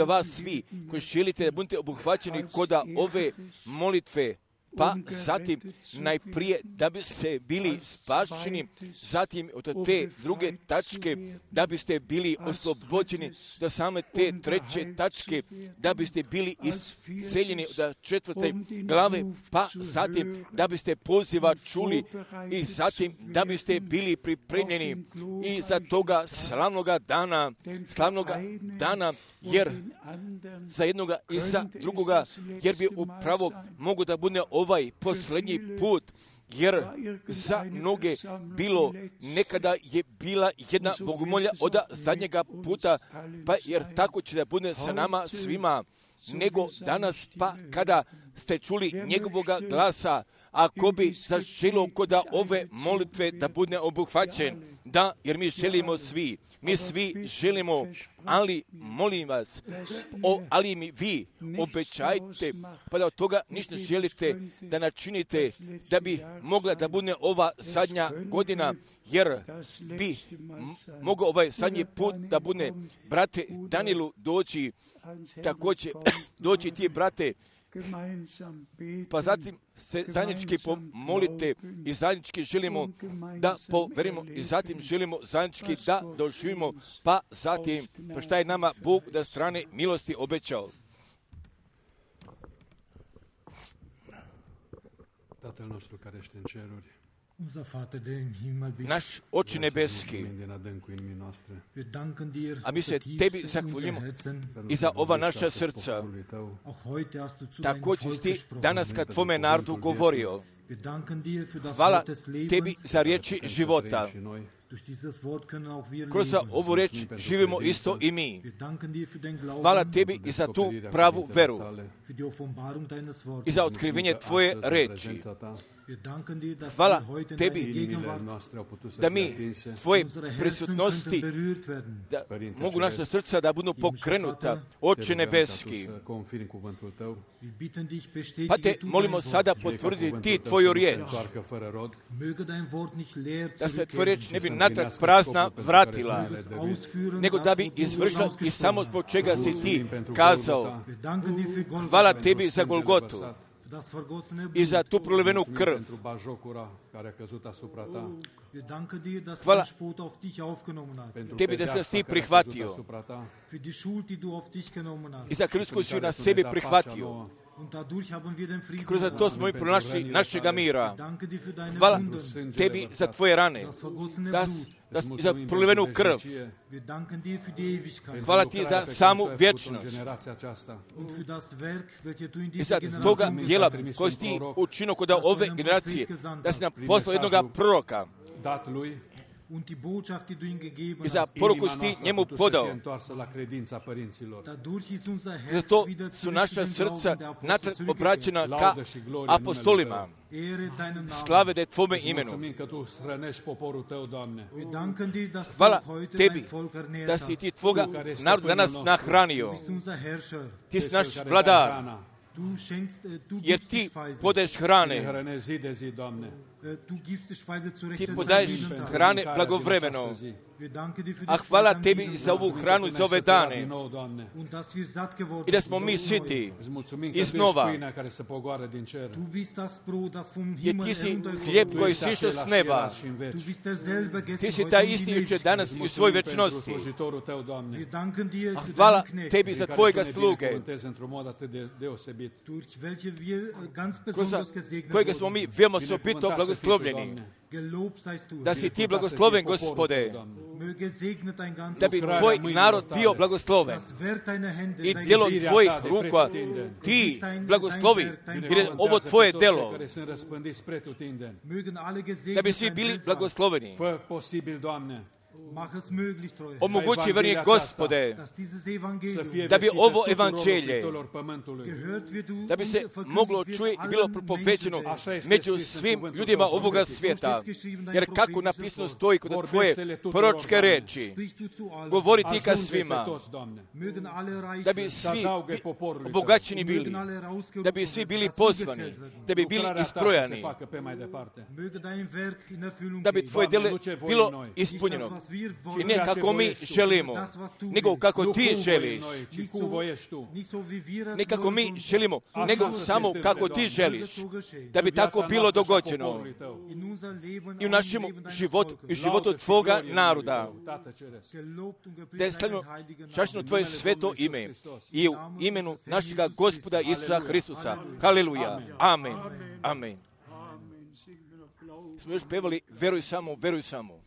vas svi koji želite da budete obuhvaćeni kod ove molitve, pa zatim najprije da biste bili spašeni, zatim od te druge tačke da biste bili oslobođeni, do same te treće tačke da biste bili isceljeni od četvrte glave, pa zatim da biste poziva čuli i zatim da biste bili pripremljeni i za toga slavnoga dana, jer za jednoga i za drugoga, jer bi upravo mogu da bude ovaj posljednji put, jer za mnoge bilo nekada je bila jedna bogomolja od zadnjega puta, pa jer tako će da bude sa nama svima, nego danas, pa kada ste čuli njegovoga glasa, ako bi zaželio kod ove molitve da bude obuhvaćen, da, jer mi želimo svi. Mi svi želimo, ali molim vas, ali mi vi obećajte, pa da od toga ništa želite da načinite, da bi mogla da bude ova zadnja godina, jer bi mogao ovaj zadnji put da bude, brate Danielu, doći, također doći ti, brate, pa zatim se zajednički pomolite i zajednički želimo da poverimo i zatim želimo zajednički da doživimo, pa zatim pa šta je nama Bog da strane milosti obećao. Tatăl nostru care ești în ceruri, naš Oče nebeski, a mi se tebi zahvaljujemo i za ova naša srca. Također ti danas kad tvome narodu govorio. Hvala tebi za riječi života. Kroz ovu riječ živimo isto i mi. Hvala tebi i za tu pravu veru i za otkrivenje tvoje riječi. Hvala tebi da mi tvoje prisutnosti, da mogu naša srca da budu pokrenuta, Oče nebeski. Pa te molimo sada potvrdi ti tvoju riječ, da se tvoja riječ ne bi natrag prazna vratila, nego da bi izvršila i samo zbog čega si ti kazao. Hvala tebi za Golgotu i za tu prolivenu krv. Hvala tebi da si ti prihvatio i za krv koju si na sebi prihvatio. Kroz to smo i pronašli našega mira. Hvala tebi za tvoje rane, za prolivenu krv. Hvala ti za samu vječnost i za toga djela koji si ti učinio kod ove generacije, da si nam poslao jednoga proroka i za poruku si ti njemu podao. Zato su naša srca natrag obraćena ka apostolima. Slave da je tvome imenu. Hvala tebi da si ti tvoga naroda danas nahranio. Ti si naš vladar, jer ti podaješ hrane. Ti podaješ hrane blagovremeno. A hvala tebi za ovu hranu, za ove dane. I da smo mi siti iznova. Jer ti si hljeb koji si išao s neba. Ti si taj isti jučer danas i u svoj večnosti. A hvala tebi za tvojega sluge, kroz kojega smo mi veoma osobito blagoslovljeni. Da si ti blagosloven, Gospode, da bi tvoj narod bio blagosloven i djelom tvojih ruka ti blagoslovi, jer je ovo tvoje delo, da bi svi bili blagosloveni. Omogući, verni Gospode, da bi ovo evanđelje, da bi se moglo čuje i bilo propovećeno među svim ljudima ovoga svijeta. Jer kako napisano stoji kod tvoje proročke reči, govori ti ka svima, da bi svi obogaćeni bili, da bi svi bili pozvani, da bi bili isprojani, da bi tvoje djelo bilo ispunjeno. I ne kako mi želimo, nego kako ti želiš. Ne kako mi želimo, nego samo kako ti želiš. Da bi tako bilo dogođeno i u našem životu i životu tvoga naroda. Da je slavimo čašno tvoje sveto ime i u imenu našega Gospoda Isusa Hristusa. Haleluja. Amen. Amen. Smo još pevali veruj samo, veruj samo.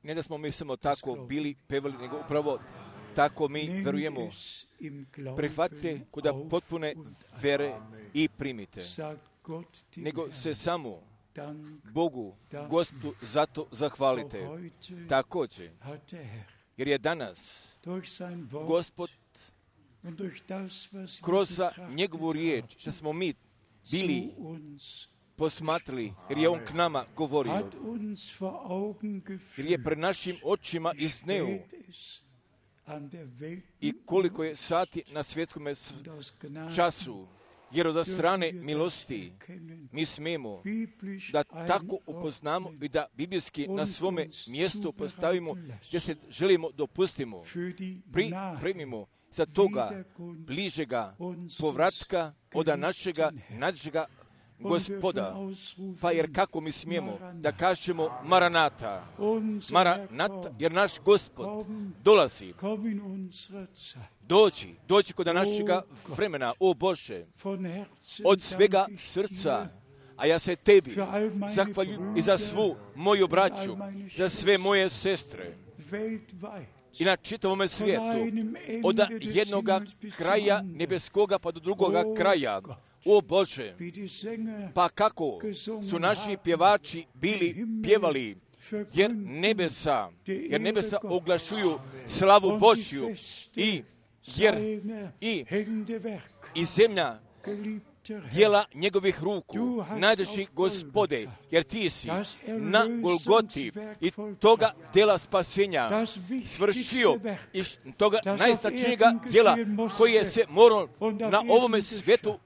Ne da smo mi samo tako bili pevali, nego upravo tako mi verujemo. Prihvatite kod potpune vere i primite. Nego se samo Bogu, Gospodu, zato zahvalite. Također, jer je danas Gospod kroz njegovu riječ, što smo mi bili posmatrali, jer je on k nama govorio, jer je pred našim očima izneo i koliko je sati na svjetskome času, jer od strane milosti mi smijemo da tako upoznamo i da biblijski na svome mjestu postavimo gdje se želimo dopustimo, pripremimo za toga bližega povratka od našega Gospoda. Pa jer kako mi smijemo da kažemo Maranata, jer naš Gospod dolazi. Doći kod našega vremena, o Bože, od svega srca, a ja se tebi zahvaljujem i za svu moju braću, za sve moje sestre i na čitavome svijetu, od jednoga kraja nebeskoga pa do drugoga kraja. O Bože, pa kako su naši pjevači bili pjevali, jer nebesa oglašuju slavu Božju i zemlja djela njegovih ruku, najdraži Gospode, jer ti si na Golgoti i toga djela spasenja svršio i toga najznačajnijega djela koji je se morao na ovome svijetu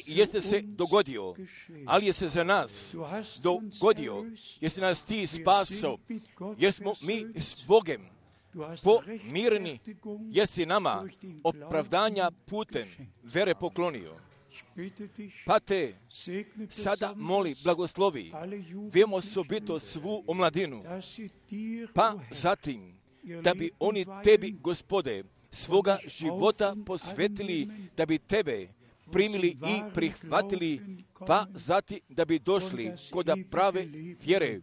jeste se dogodio, ali je se za nas dogodio, jer si nas ti spasao, jer smo mi s Bogem pomireni, jer si nama opravdanja putem vere poklonio. Pa te sada moli, blagoslovi, vemo osobito svu omladinu, pa zatim da bi oni tebi, Gospode, svoga života posvetili, da bi tebe primili i prihvatili, pa zatim da bi došli kod prave vjere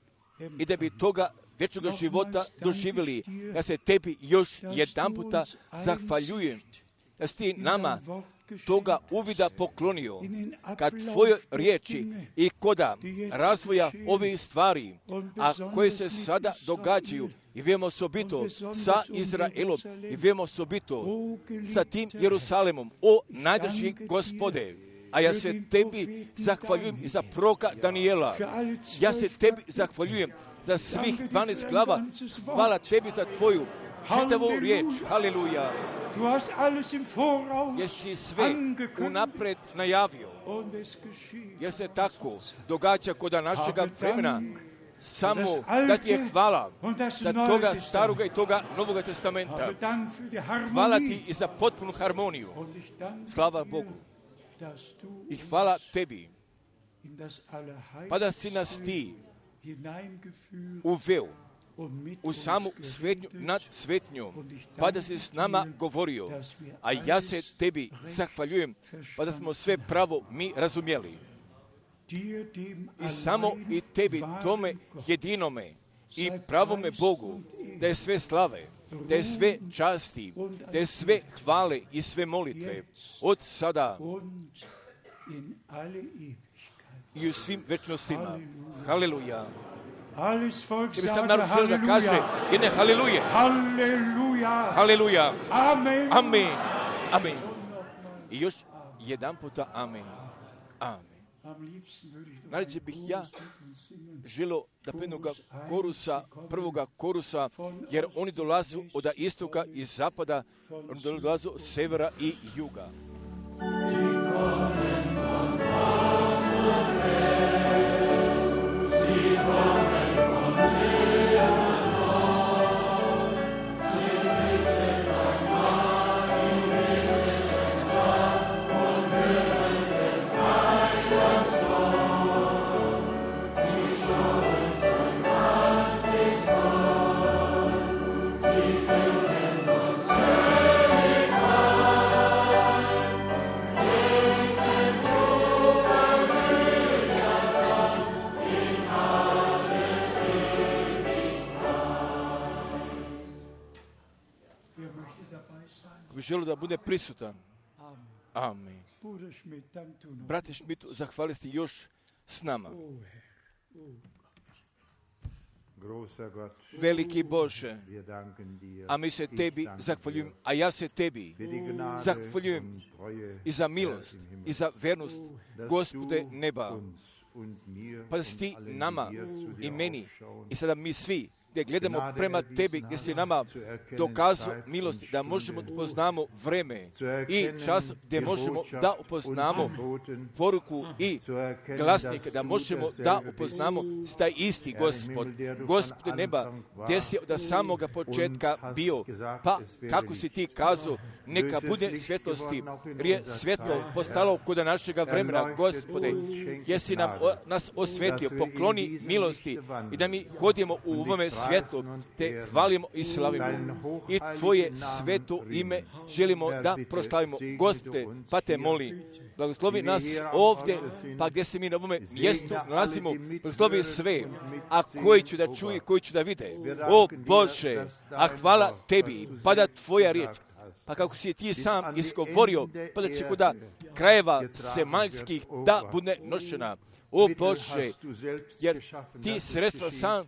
i da bi toga vječnoga života doživjeli. Ja se tebi još jedanputa zahvaljujem da si ti nama toga uvida poklonio kad tvoje riječi i koda razvoja ovih stvari, a koje se sada događaju i vemo osobito sa Izraelom i vemo osobito sa tim Jerusalemom, o najdraži Gospode. A ja se tebi zahvaljujem i za proroka Danijela. Ja se tebi zahvaljujem za svih 12 glava. Hvala tebi za tvoju čitavu riječ. Haleluja. Jer si sve unapred najavio. Jer se tako događa kod našega vremena. Samo da ti je hvala za toga staroga i toga novoga testamenta. Hvala ti i za potpunu harmoniju. Slava Bogu. I hvala tebi. Pa da si nas ti uveo u samu svetnju nad svetnjom, pa da si s nama govorio, a ja se tebi zahvaljujem, pa da smo sve pravo mi razumjeli. I samo i tebi, tome jedinome i pravome Bogu, da je sve slave, da je sve časti, da je sve hvale i sve molitve, od sada i u svim večnostima. Haleluja. Ti bi sam narod želio da kaže jedne haleluje. Halleluja. Haleluja. Amen. Amen. Amen. I još jedan puta amen. Amen. Najradije bih ja želio da prvoga korusa, jer oni dolazu od istoka i zapada, oni dolazu od severa i juga. bi želio da bude prisutan. Amen. Brate Schmidt, zahvali ste još s nama. Veliki Bože, a mi se tebi zahvaljujem, a ja se tebi zahvaljujem i za milost i za vernost, Gospode neba. Pa da si ti nama i meni i sada mi svi gdje gledamo prema tebi, gdje si nama dokazao milost, da možemo da upoznamo vreme i čas gdje možemo da upoznamo poruku i glasnike, da možemo da upoznamo taj isti Gospod, Gospod neba, gdje si od samoga početka bio, pa kako si ti kazao, neka bude svjetlosti, jer je svjetlo postalo kod našega vremena, Gospode, jesi nas osvetio, pokloni milosti i da mi hodimo u ovome svjetlu, te hvalimo i slavimo i tvoje sveto ime želimo da proslavimo. Gospode, pa te molim, blagoslovi nas ovdje, pa gdje se mi na ovome mjestu nalazimo, blagoslovi sve, a koji ću da čuje, koji ću da vide. O Bože, a hvala tebi, pada tvoja riječ, pa kako si ti sam izgovorio, pa da će kuda krajeva semaljskih da bude nošena. O Bože, jer ti sredstva sam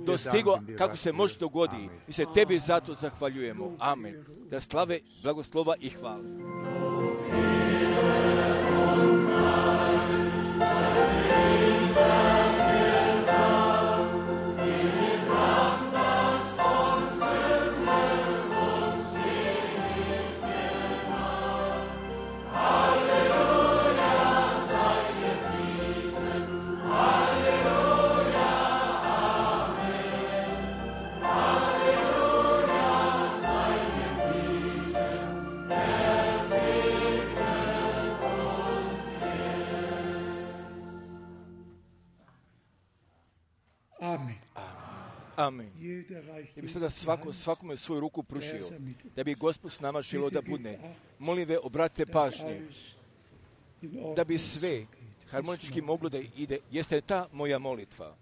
dostigo kako se može dogodi. Mi se tebi zato zahvaljujemo. Amen. Da slave, blagoslova i hvala. Amen. Ja bi sada svakome svoju ruku pružio, da bi Gospod s nama želio da bude. Molim ve, obratite pažnje, da bi sve harmonički moglo da ide. Jeste ta moja molitva.